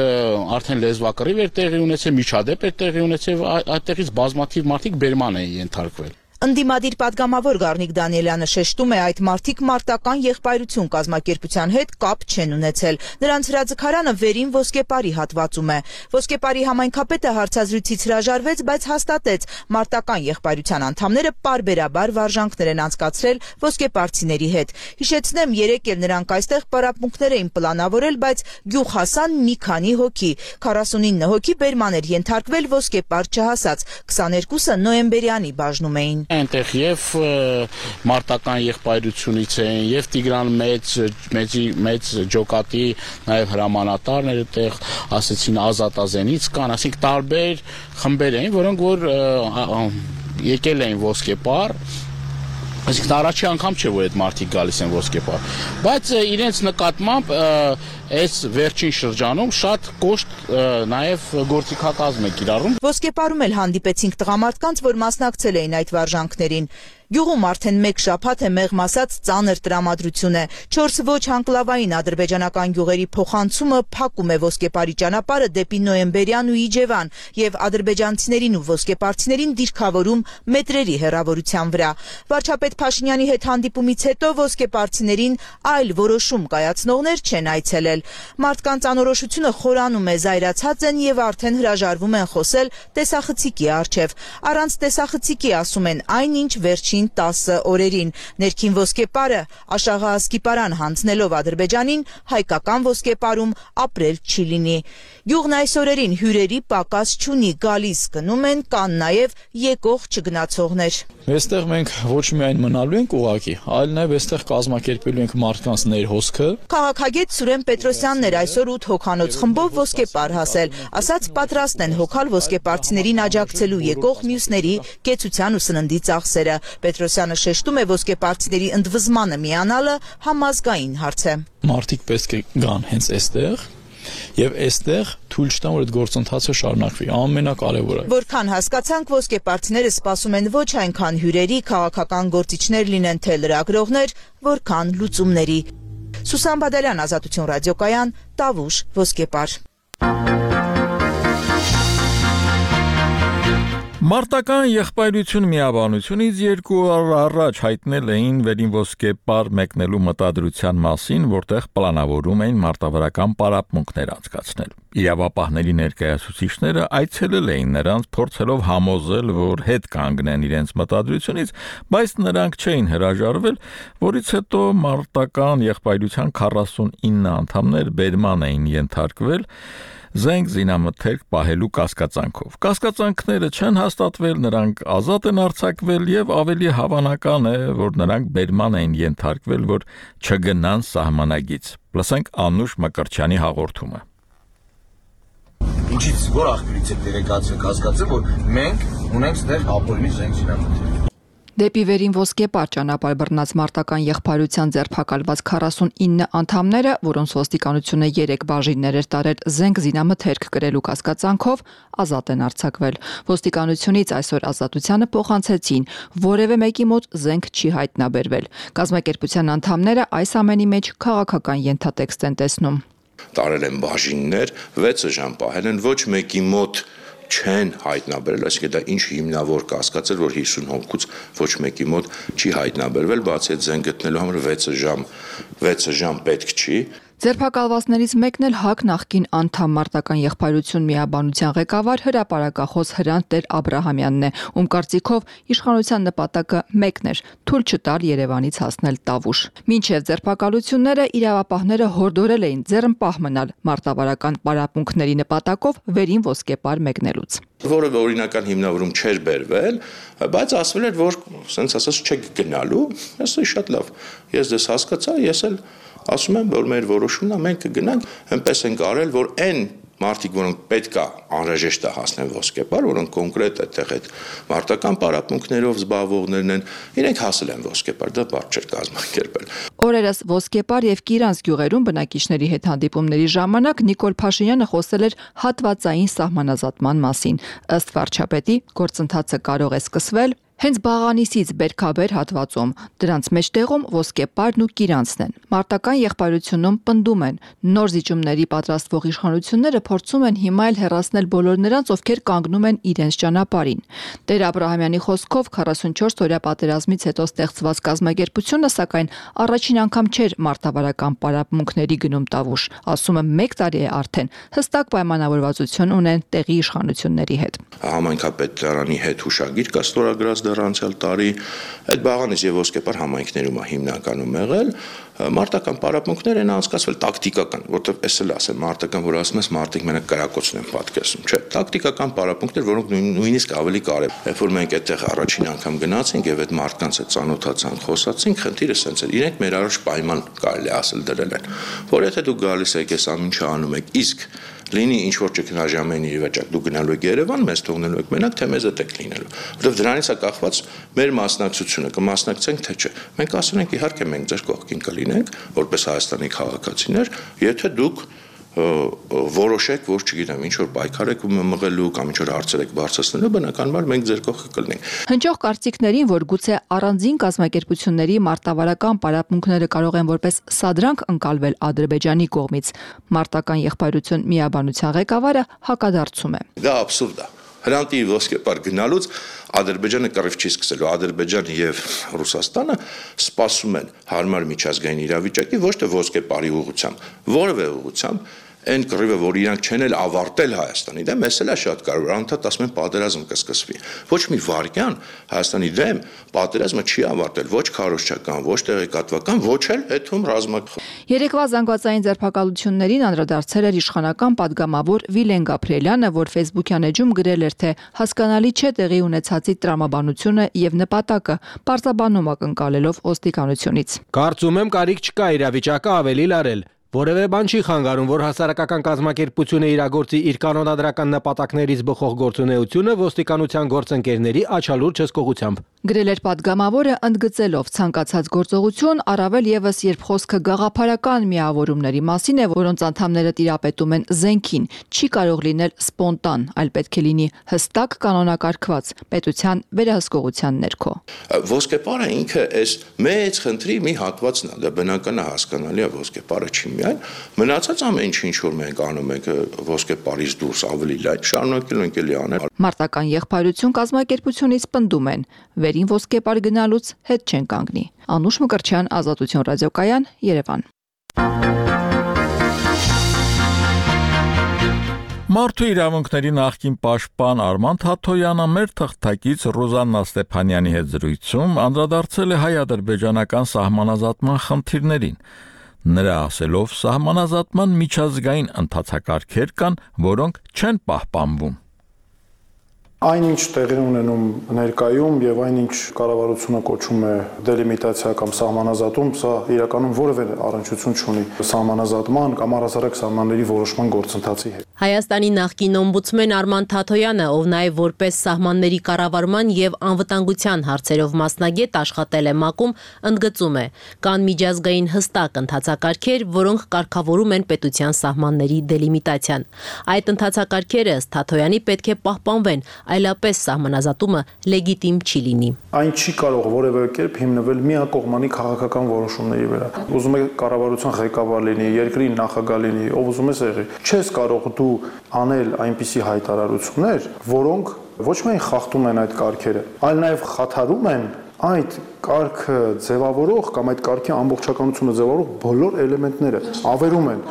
S15: արդեն լեզվակռիվ էր տեղի ունեցել, միջադեպ էր տեղի ունեցել, այդտեղից բազմաթիվ մարդիկ բերման էին ենթարկվել։
S13: Ընդդիմադիր պատգամավոր Գառնիկ Դանիելյանը շեշտում է, այդ մարդիկ մարտական եղբայրություն կազմակերպության հետ կապ չեն ունեցել։ Նրանց հրաձգարանը վերին ոսկեպարի հատվածում է։ Ոսկեպարի համայնքապետը հարցազրույցից հրաժարվեց, բայց հաստատեց, մարտական եղբայրության անդամները պարբերաբար վարժանքներ են անցկացրել ոսկեպարցիների հետ։ Հիշեցնեմ, երեկ էլ նրանք այստեղ պարապմունքներ էին պլանավորել, բայց գյուղ հասան մի քանի հոգի։ քառասունինը հոգի բերման էր ենթարկվել, ոսկեպար չհասած, քսաներկուսը նոյեմբերյանի բաժնում էին։
S15: Այնտեղ եւ մարտական եղբայրությունից են, եւ Տիգրան մեծ մեծի մեծ ջոկատի նաեւ հրամանատարներ այդտեղ ասեցին Ազատազենից կան, ասենք տարբեր խմբեր էին, որոնք որ եկել էին ոսկեպար, այսինքն առաջի անգամ չէ որ այդ մարդիկ գալիս են ոսկեպար, բայց իրենց նկատմամբ այս վերջին շրջանում շատ կոշտ նաև գործիքակազմ է կիրառում։
S13: Ոսկեպարում էլ հանդիպեցինք տղամարդկանց, որ մասնակցել էին այդ վարժանքներին։ Գյուղում արդեն մեկ շաբաթ է մեղմ ասած ծանր տրամադրություն է։ Չորս ոչ անկլավային ադրբեջանական գյուղերի փոխանցումը փակում է ոսկեպարի ճանապարհը դեպի Նոյեմբերյան ու Իջևան եւ ադրբեջանցիներին ու ոսկեպարցիներին դիրքավորում մետրերի հեռավորության վրա։ Վարչապետ Փաշինյանի հետ հանդիպումից հետո ոսկեպարցիներին այլ որոշում կայացնողներ չեն այցելել։ Մարդկանց անորոշությունը խորանում է, զայրացած են եւ արդեն հրաժարվում են խոսել տեսախցիկի առջեւ։ Առանց տեսախցիկի ասում են այնինչ վերջին տասը օրերին։ Ներքին ոսկեպարը Աշաղահասկիպարան հանձնելով Ադրբեջանին հայկական ոսկեպարում ապրել չի լինի։ Գյուղն այս օրերին հյուրերի պակաս չունի, գալիս գնում են, կան նաև եկող չգնացողներ։
S16: Այստեղ մենք ոչ միայն մնալու ենք ուղակի, այլ նաև այստեղ կազմակերպելու ենք մարդկանց ներհոսքը։
S13: Քաղաքագետ Սուրեն Պետրոսյանն էր այսօր ութ հոգանոց խմբով ոսկեպար հասել, ասաց պատրաստ են հոգալ ոսկեպարցիներին աջակցելու եկող մյուսների կեցության ու սննդի ծախսերը։ Պետրոսյանը շեշտում է, ոսկեպարցիների ընդվզմանը միանալը համազգային հարց է։
S16: Մարդիկ պետք է գան հենց այստեղ եւ այստեղ թույլ չտան, որ այդ գործընթացը շարունակվի, ամենակարևորը։
S13: Որքան հասկացանք, ոսկեպարցիները սպասում են ոչ այնքան հյուրերի, քաղաքական գործիչներ լինեն թե լրագրողներ, որքան լուծումների։ Սուսան Բադալյան, Ազատություն ռադիոկայան, Տավուշ, ոսկեպար։
S1: Մարտական եղբայրություն միաբանությունից երկու օր առաջ հայտնել էին վերին ոսկեպար մեկնելու մտադրության մասին, որտեղ պլանավորում էին մարտավարական պարապմունքներ անցկացնել։ Իրավապահների ներկայացուցիչները այցելել էին նրանց, փորձելով համոզել, որ հետ կանգնեն իրենց մտադրությունից, բայց նրանք չէին հրաժարվել, որից հետո մարտական եղբայրության քառասունինը անդամներ բերման էին ենթարկվել զենք զինամթերք պահելու կասկածանքով։ Կասկածանքները չեն հաստատվել, նրանք ազատ են արձակվել եւ ավելի հավանական է, որ նրանք բերման են ենթարկվել, որ չգնան սահմանագից։ Լսենք Անուշ Մկրտչյանի հաղորդումը։
S17: Ինչից որ աղբյուրից է դերեկացիա կասկածը, որ մենք ունենք ստեղ ապօրինի զենք զինամթերք։
S18: Դեպի վերին ոսկեպար ճանապարհ բռնած մարտական եղբայրության ձերբակալված քառասունինը անդամները, որոնց ոստիկանությունը երեք բաժիններ էր տարել զենք զինամթերք կրելու կասկածանքով, ազատ են արձակվել։ Ոստիկանությունից այսօր ազատությանը փոխանցեցին, որևէ մեկի մոտ զենք չի հայտնաբերվել։ Կազմակերպության անդամները այս ամենի մեջ քաղաքական ենթատեքստ են տեսնում։
S19: Տարել են բաժիններ, վեցը ժամ պահել են, ոչ մեկի մոտ չեն հայտնաբերել, այսինքն դա ինչ հիմնավոր կասկած էր, որ հիսուն հոգուց ոչ մեկի մոտ չի հայտնաբերվել, բացի այդ զենք գտնելու համար վեց ժամ, վեց ժամ պետք չի։
S18: Ձերբակալվածներից մեկն էլ ՀԱԿ նախկին անդամ մարտական եղբայրություն միաբանության ղեկավար հրապարակախոս Հրանտ Տեր Աբրահամյանն է, ում կարծիքով իշխանության նպատակը մեկն էր՝ թույլ չտալ Երևանից հասնել Տավուշ։ Մինչև ձերբակալությունները իրավապահները հորդորել էին ձեռնպահ մնալ մարտավարական պարապմունքների նպատակով վերին ոսկեպար մեկնելուց։
S19: Որևէ օրինական հիմնավորում չէր բերվել, բայց ասվել էր, որ սենց ասած չեք գնալու, ասա շատ լավ։ Ես դες հասկացա, ես էլ ասում եմ, որ մեր որոշումն է, մենք կգնանք, այնպես ենք արել, որ այն մարդիկ, որոնք պետք է անհրաժեշտ է հասնեն ոսկեպար, որոնք կոնկրետ այդտեղ այդ մարտական պարապմունքներով զբաղվողներն են, իրենք հասել են ոսկեպար, դա բարդ չէր կազմակերպել։
S18: Օրերս ոսկեպար եւ Կիրանց գյուղերում բնակիչների հետ հանդիպումների ժամանակ Նիկոլ Փաշինյանը խոսել էր հատվածային սահմանազատման մասին։ Ըստ վարչապետի, գործընթացը կարող է սկսվել Հենց Բաղանիսից Բերքաբեր հատվածում դրանց մեջտեղում ոսկեպարն ու կիրանցն են։ Մարտական եղբայրությունում պնդում են, նոր զիջումների պատրաստվող իշխանությունները փորձում են հիմա էլ հեռացնել բոլոր նրանց, ովքեր կանգնում են իրենց ճանապարհին։ Տեր Աբրահամյանի խոսքով քառասունչորս օրյա պատերազմից հետո ստեղծված կազմակերպությունը, սակայն առաջին անգամ չէր մարտավարական պարապմունքների գնում տավուշ, ասում է մեկ տարի է արդեն, հստակ պայմանավորվածություն ունեն տեղի իշխանությունների հետ։
S19: Համայնքապետարանի հետ հուշագիր կա ստորագրած դեռ անցյալ տարի, այդ Բաղանիս եւ Ոսկեպար համայնքներում է հիմնականում եղել, մարտական պարապմունքներ են անցկացվել տակտիկական, որտեղ էս էլ ասեմ, մարտական, որ ասում ես մարտիկ մենակ կրակոցն են պատկերացնում, չէ, տակտիկական պարապմունքներ, որոնք նույնիսկ ավելի կարևոր։ Երբ որ մենք այդտեղ առաջին անգամ գնացինք եւ այդ մարդկանց հետ ծանոթացանք, խոսացինք, խնդիրը սենց էր, իրենք մեր առաջ պայման կարելի ասել դրել են, որ եթե դուք գալիս եք այս ամենը անում եք, իսկ լինի ինչ որ ճգնաժամային իրավիճակ, դու գնալու եք Երևան, մեզ թողնելու եք մենակ, թե մեզ հետ եք լինելու։ Որովհետև դրանից է կախված մեր մասնակցությունը, կմասնակցենք թե չէ։ Մենք ասում ենք իհարկե մենք ձեր կողքին կլինենք, որպես Հայաստանի քաղաքացիներ, եթե դուք որոշեք, որ չգիտեմ, ինչ որ պայքար եք մղելու կամ ինչ որ հարցեր եք բարձրացնելու, բնականաբար մենք ձեր կողքը կլինենք։
S18: Հնչող կարծիքներին, որ գուցե առանձին կազմակերպությունների մարտավարական պարապմունքները կարող են որպես սադրանք ընկալվել Ադրբեջանի կողմից, մարտական եղբայրություն միաբանության ղեկավարը հակադարձում է։
S19: Դա աբսուրդ է։ Հրանտի Ոսկեպար գնալուց Ադրբեջանը կռիվ չի սկսելու, Ադրբեջանը եւ Ռուսաստանը սպասում են հարմար միջազգային իրավիճակի, ոչ թե Ոսկեպարի ուղղությամբ, որևէ ուղղությամբ, այն կռիվը, որ իրանք չեն էլ ավարտել Հայաստանի դեմ, էս էլ է շատ կարևոր, անդադ ասում են պատերազմ կսկսվի։ Ոչ մի վայրկյան Հայաստանի դեմ պատերազմը չի ավարտել, ոչ քարոզչական, ոչ տեղեկատվական, ոչ էլ հետում ռազմական։
S18: Երեկվա զանգվածային ձերբակալություններին անդրադարձել էր իշխանական падգամավոր Վիլեն Գաբրիելյանը, որ Facebook-յան էջում գրել էր, թե հասկանալի չէ տեղի ունեցածի տրամաբանությունը եւ նպատակը, պարզաբանում ակնկալելով ոստիկանությունից։
S20: Կարծում եմ կարիք չկա իրավիճակը ավելի լարել։ Որևէ բան չի խանգարում, որ հասարակական կազմակերպությունը իրագործի իր կանոնադրական նպատակներից բխող գործունեությունը ոստիկանության գործընկերների աչալուրջ հսկողությամբ։
S18: Գրել էր падգամավորը, ընդգծելով ցանկացած գործողություն, առավել եւս երբ խոսքը գաղափարական միավորումների մասին է, որոնց անդամները տիրապետում են զենքին, չի կարող լինել սպոնտան, այլ պետք է լինի հստակ կանոնակարգված պետության վերահսկողության ներքո։
S19: Ոսկեպարը ինքը այս մեծ խնդրի մի հատվածն է, դա բնական է, հասկանալի է, Ոսկեպարը չի միայն, մնացած ամեն ինչ ինչ որ մենք անում ենք Ոսկեպարից դուրս ավելի լայն շարունակելու ենք էլի անել։
S18: Մարտական եղբայրություն կազմակերպությունից պնդում են, վերին Ոսկեպար գնալուց հետ չեն կանգնի։ Անուշ Մկրտչյան, Ազատություն ռադիոկայան, Երևան։
S1: Մարդու իրավունքների նախկին պաշտպան Արման Թաթոյանը մեր թղթակից Ռոզաննա Ստեփանյանի հետ զրույցում անդրադարձել է հայ-ադրբեջանական սահմանազատման խնդիրներին։ Նրա ասելով, սահմանազատման միջազգային ընթացակարգեր կան, որոնք չեն պահպանվում։
S21: Այնինչ տեղի ունենում ներկայում եւ այնինչ կառավարությունը կոչում է դելիմիտացիա կամ սահմանազատում, սա իրականում որևէ առնչություն չունի սահմանազատման կամ առհասարակ սահմանների որոշման գործընթացի հետ։
S22: Հայաստանի նախկին օմբուդսմեն Արման Թաթոյանը, ով նաև որպես սահմանների կառավարման եւ անվտանգության հարցերով մասնագետ աշխատել է ՄԱԿ-ում, ընդգծում է, կան միջազգային հստակ ընթացակարգեր, որոնք կարգավորում են պետության սահմանների դելիմիտացիան։ Այդ ընթացակարգերը ըստ Թաթոյանի պետք է պահպանվեն, այլապես սահմանազատումը լեգիտիմ չի լինի։
S21: Այն չի կարող որևէ կերպ հիմնվել միակողմանի քաղաքական որոշումների վրա։ Ուզում եք կառավարության ղեկավար լինի, երկրի նախագահ լինի, ով ուզում ես եղի։ Չես կարող դու անել այնպիսի հայտարարություններ, որոնք ոչ միայն խախտում են այդ կարգերը, այլ նաև խաթարում են այդ կարգը ձևավորող կամ այդ կարգի ամբողջականությունը ձևավորող բոլոր էլեմենտները, ավերում են։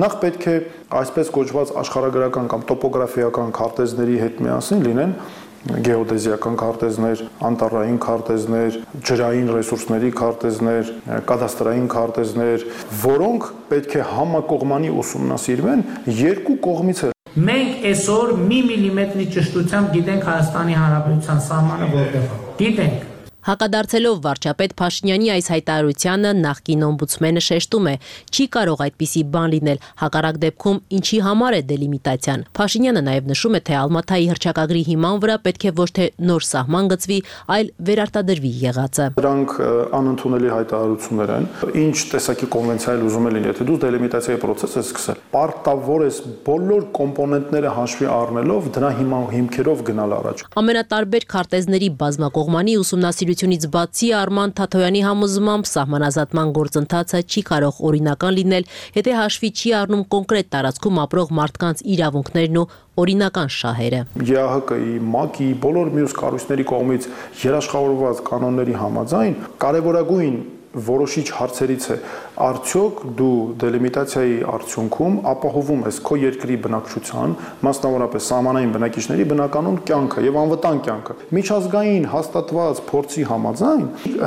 S21: Նախ պետք է այսպես կոչված աշխարհագրական կամ տոպոգրաֆիական քարտեզների հետ միասին լինեն գեոդեզիական քարտեզներ, անտառային քարտեզներ, ջրային ռեսուրսների քարտեզներ, կադաստրային քարտեզներ, որոնք պետք է համակողմանի ուսումնասիրվեն երկու կողմից։
S23: Մենք այսօր մի միլիմետրի ճշտությամբ գիտենք Հայաստանի Հանրապետության սահմանը որտեղ է։ Գիտենք։
S22: Հակադարձելով վարչապետ Փաշինյանի այս հայտարարությանը նախկին օմբուդսմենը շեշտում է, չի կարող այդպիսի բան լինել, հակառակ դեպքում ինչի համար է դելիմիտացիան։ Փաշինյանը նաև նշում է, թե Ալմաթայի հռչակագրի հիման վրա պետք է ոչ թե նոր սահման գծվի, այլ վերարտադրվի եղածը։
S21: Դրանք անընդունելի հայտարարություններ են։ Ինչ տեսակի կոնվենցիայել ուզում է լինի, եթե դու դելիմիտացիայի process ես սկսել, պարտավոր ես բոլոր կոմպոնենտները հաշվի առնելով դրա հիման հիմքերով գնալ առաջ։
S22: Ամենատարբեր քարտեզների բազմակողմանի ուսումնասիրությունից բացի Արման Թաթոյանի համոզմամբ սահմանազատման գործընթացը չի կարող օրինական լինել, եթե հաշվի չի առնում կոնկրետ տարածքում ապրող մարդկանց իրավունքներն ու օրինական շահերը։
S21: ԵԱՀԿ-ի, ՄԱԿ-ի, բոլոր մյուս կառույցների կողմից երաշխավորված կանոնների համաձայն կարևորագույն որոշիչ հարցերից է արդյոք դու դելիմիտացիայի արդյունքում ապահովում ես քո երկրի բնակչության, մասնավորապես սահմանային բնակիչների բնականոն կյանքը եւ անվտանգ կյանքը։ Միջազգային հաստատված փորձի համաձայն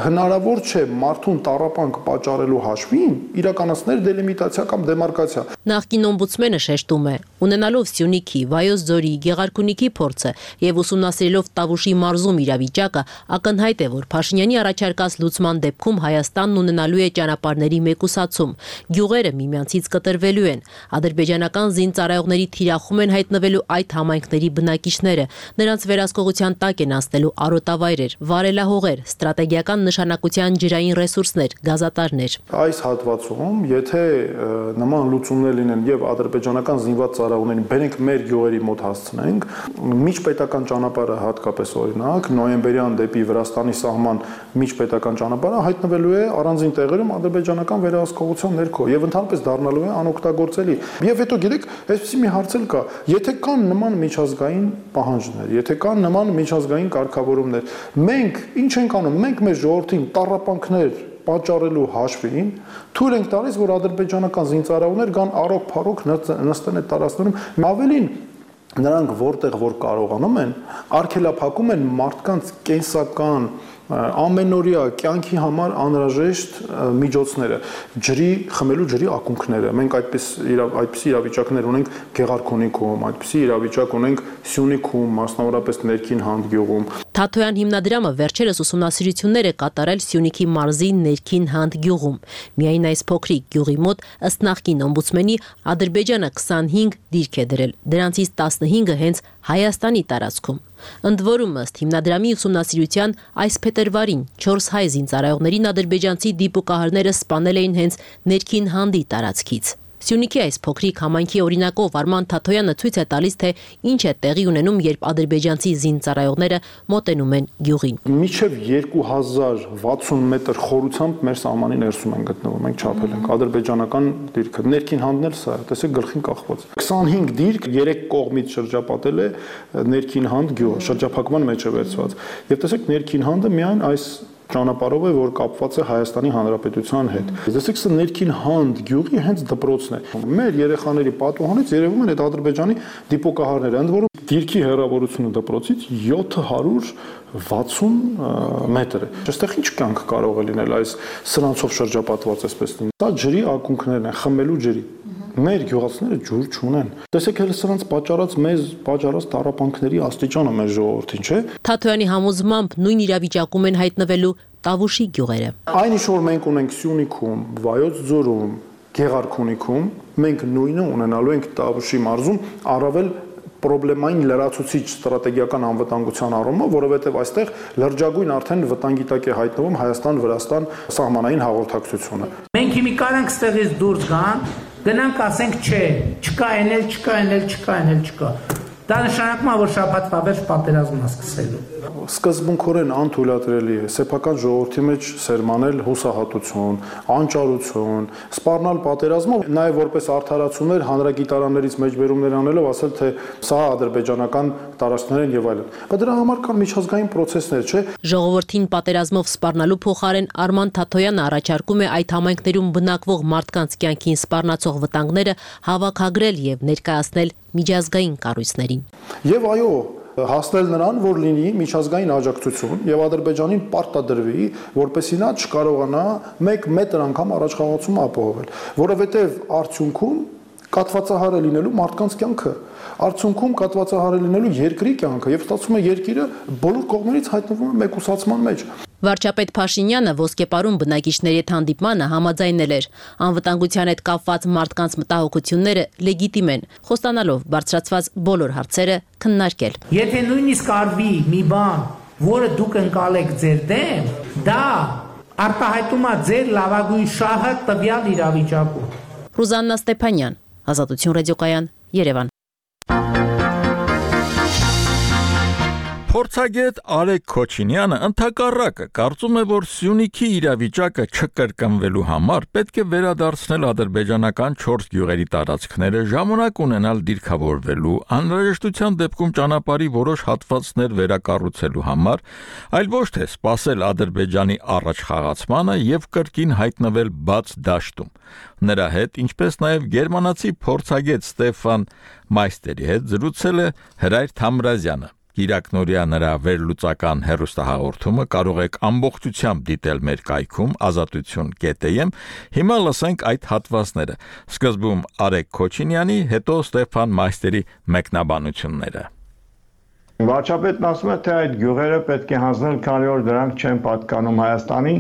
S21: հնարավոր չէ մարդուն տառապանք պատճառելու հաշվին իրականացնել դելիմիտացիա կամ դեմարկացիա։
S22: Նախկին օմբուդսմենը շեշտում է, ունենալով Սյունիքի, Վայոց ձորի, Գեղարքունիքի փորձը եւ ուսումնասիրելով Տավուշի մարզում իրավիճակը, ակնհայտ է, որ Փաշինյանի առաջարկած լուծման դեպքում Հայաստանն ունենալու է ճանապարհների մեկուսացում, գյուղերը միմյանցից կտրվելու են, ադրբեջանական զինծառայողների թիրախում են հայտնվելու այդ համայնքների բնակիչները, նրանց վերահսկողության տակ են անցնելու արոտավայրեր, վարելահողեր, ստրատեգիական նշանակության ջրային ռեսուրսներ, գազատարներ։
S21: Այս հատվածում, եթե նման լուծումներ լինեն եւ ադրբեջանական զինված ծառայողներին բերենք մեր գյուղերի մոտ հասցնենք, միջպետական ճանապարհը հատկապես օրինակ նոյեմբերյան դեպի Վրաստանի սահման միջպետական ճանապարհը հայտնվելու է առանձին տեղերում ադրբեջանական վերահսկողության ներքո եւ ընդհանրապես դառնալու է անօգտագործելի։ Եվ հետո գիտեք, այսպեսի մի հարց էլ կա, եթե կան նման միջազգային պահանջներ, եթե կան նման միջազգային կարգավորումներ, մենք ինչ ենք անում, մենք մեր ժողովրդին տառապանքներ պատճառելու հաշվին թույլ ենք տալիս, որ ադրբեջանական զինծառայողներ կան առոք-փառոք նստեն այդ տարածքներում։ Ավելին նրանք որտեղ որ կարողանում են, արգելափակում են մարդկանց կենսական ամենօրյա կյանքի համար անհրաժեշտ միջոցները, ջրի խմելու ջրի ակունքները։ Մենք այդպես այդպիսի իրավիճակներ ունենք Գեղարքունիքում, այդպիսի իրավիճակ ունենք Սյունիքում, մասնավորապես Ներքին Հանդ գյուղում։
S22: Թաթոյան հիմնադրամը վերջերս ուսումնասիրություններ է կատարել Սյունիքի մարզի Ներքին Հանդ գյուղում։ Միայն այս փոքրիկ գյուղի մոտ ըստ նախկին օմբուդսմենի Ադրբեջանը քսանհինգ դիրք է դրել, դրանցից տասնհինգը հենց Հայաստանի տարածքում։ Ընդ որում ըստ հիմնադրամի ուսումնասիրության այս փետրվարին չորս հայ զինծառայողներին ադրբեջանցի դիպուկահարները սպանել էին հենց Ներքին Հանդի տարածքից։ Սյունիքի այս փոքրիկ համայնքի օրինակով Արման Թաթոյանը ցույց է տալիս, թե ինչ է տեղի ունենում, երբ ադրբեջանցի զինծառայողները մոտենում են գյուղին։
S21: Մինչև երկու հազար վաթսուն մետր խորությամբ մեր սահմանի ներսում են գտնվում, մենք չափել ենք ադրբեջանական դիրքը։ Ներքին Հանդն էլ սա է, տեսեք գլխին կախված։ քսանհինգ դիրք երեք կողմից շրջապատել է Ներքին Հանդ գյուղը, շրջափակման մեջ է վերցված։ Եվ տեսեք Ներքին Հանդը միայն այս ճանապարհով է, որ կապված է Հայաստանի Հանրապետության հետ։ Տեսեք, սա Ներքին Հանդ գյուղի հենց դպրոցն է։ Մեր երեխաների պատուհանից երևում են այդ ադրբեջանի դիպոկահարները, ընդ որում դիրքի հեռավորությունը դպրոցից յոթ հարյուր վաթսուն մետր է։ Այստեղ ինչ կյանք կարող է լինել այս սրանցով շրջապատված այսպես լինի։ Սա ջրի ակունքներն են, խմելու ջրի։ Մեր գյուղացիները ջուր չունեն։ Տեսեք, հենց սրանց պատճառած մեզ պատճառած տառապանքների աստիճանը մեր ժողովրդին, չէ՞։
S22: Թաթոյանի համոզմամբ նույն իրավիճակում են հայտնվելու Տավուշի գյուղերը։
S21: Այն ինչ որ մենք ունենք Սյունիքում, Վայոց ձորում, Գեղարքունիքում, մենք նույնը ունենալու ենք Տավուշի մարզում, առավել պրոբլեմային լրացուցիչ ստրատեգիական անվտանգության առումով, որովհետև այստեղ լրջագույն արդեն վտանգի տակ է հայտնվում Հայաստան-Վրաստան սահմանային հաղորդակցությունը։
S2: Մենք հիմի կարանք ստեղից դուրս գան, գնանք ասենք չէ, չկա էնել, չկա էնել, չկա էնել, չկա։ Դա նշանակում է, որ շաբաթվա վերջ պատերազմն է սկսելու։
S21: Սկզբունքորեն անթույլատրելի է սեփական ժողովրդի մեջ սերմանել հուսահատություն, անճարություն, սպառնալ պատերազմով, նաև որպես արդարացումներ հանրագիտարաններից մեջբերումներ անելով ասել, թե սա ադրբեջանական տարածքներ են եւ այլն։ Բայց դրա համար կան միջազգային process-ներ, չէ՞։
S22: Ժողովրդին պատերազմով սպառնալու փոխարեն Արման Թաթոյանը առաջարկում է այդ համայնքներում բնակվող մարդկանց կյանքին սպառնացող վտանգները հավաքագրել եւ ներկայացնել միջազգային կառույցներին։
S21: Եվ այո, հասնել նրան, որ լինի միջազգային աջակցություն եւ Ադրբեջանին պարտադրվի, որպեսզի նա չկարողանա մեկ մետր անգամ առաջխաղացում ապահովել, որովհետեւ արդյունքում կատվածահար է լինելու մարդկանց կյանքը, արդյունքում կատվածահար է լինելու երկրի կյանքը եւ ստացվում է երկիրը բոլոր կողմերից հայտնվում է մեկուսացման մեջ։
S22: Վարչապետ Փաշինյանը ոսկեպարում բնակիչների հետ հանդիպմանը համաձայնել էր, անվտանգության հետ կապված մարդկանց մտահոգությունները լեգիտիմ են, խոստանալով բարձրացված բոլոր հարցերը քննարկել։
S2: Եթե նույնիսկ արվի մի բան, որը դուք ընկալեք ձեր դեմ, դա արտահայտում է ձեր լավագույն շահը տվյալ իրավիճակում։
S22: Ռուզաննա Ստեփանյան, Ազատություն ռադիոկայան, Երևան։
S1: Փորձագետ Արեգ Քոչինյանը ընդհակառակը կարծում է, որ Սյունիքի իրավիճակը չկրկնվելու համար պետք է վերադարձնել ադրբեջանական չորս գյուղերի տարածքները, ժամանակ ունենալ դիրքավորվելու, անհրաժեշտության դեպքում ճանապարհի որոշ հատվածներ վերակառուցելու համար, այլ ոչ թե սպասել Ադրբեջանի առաջխաղացմանը եւ կրկին հայտնվել բաց դաշտում։ Նրա հետ, ինչպես նաև գերմանացի փորձագետ Ստեֆան Մայստերի հետ զրուցել է Հրայր Թամրազյանը։ Իրակնորյա նրա վերլուծական հեռուստահաղորդումը կարող եք ամբողջությամբ դիտել մեր կայքում ազատություն կետ էմ։ Հիմա լսենք այդ հատվածները։ Սկզբում Արեգ Քոչինյանի, հետո Ստեփան Մայստերի մեկնաբանությունները։
S4: Վարչապետն ասում է, թե այդ գյուղերը պետք է հանձնել, քանի որ դրանք չեն պատկանում Հայաստանին,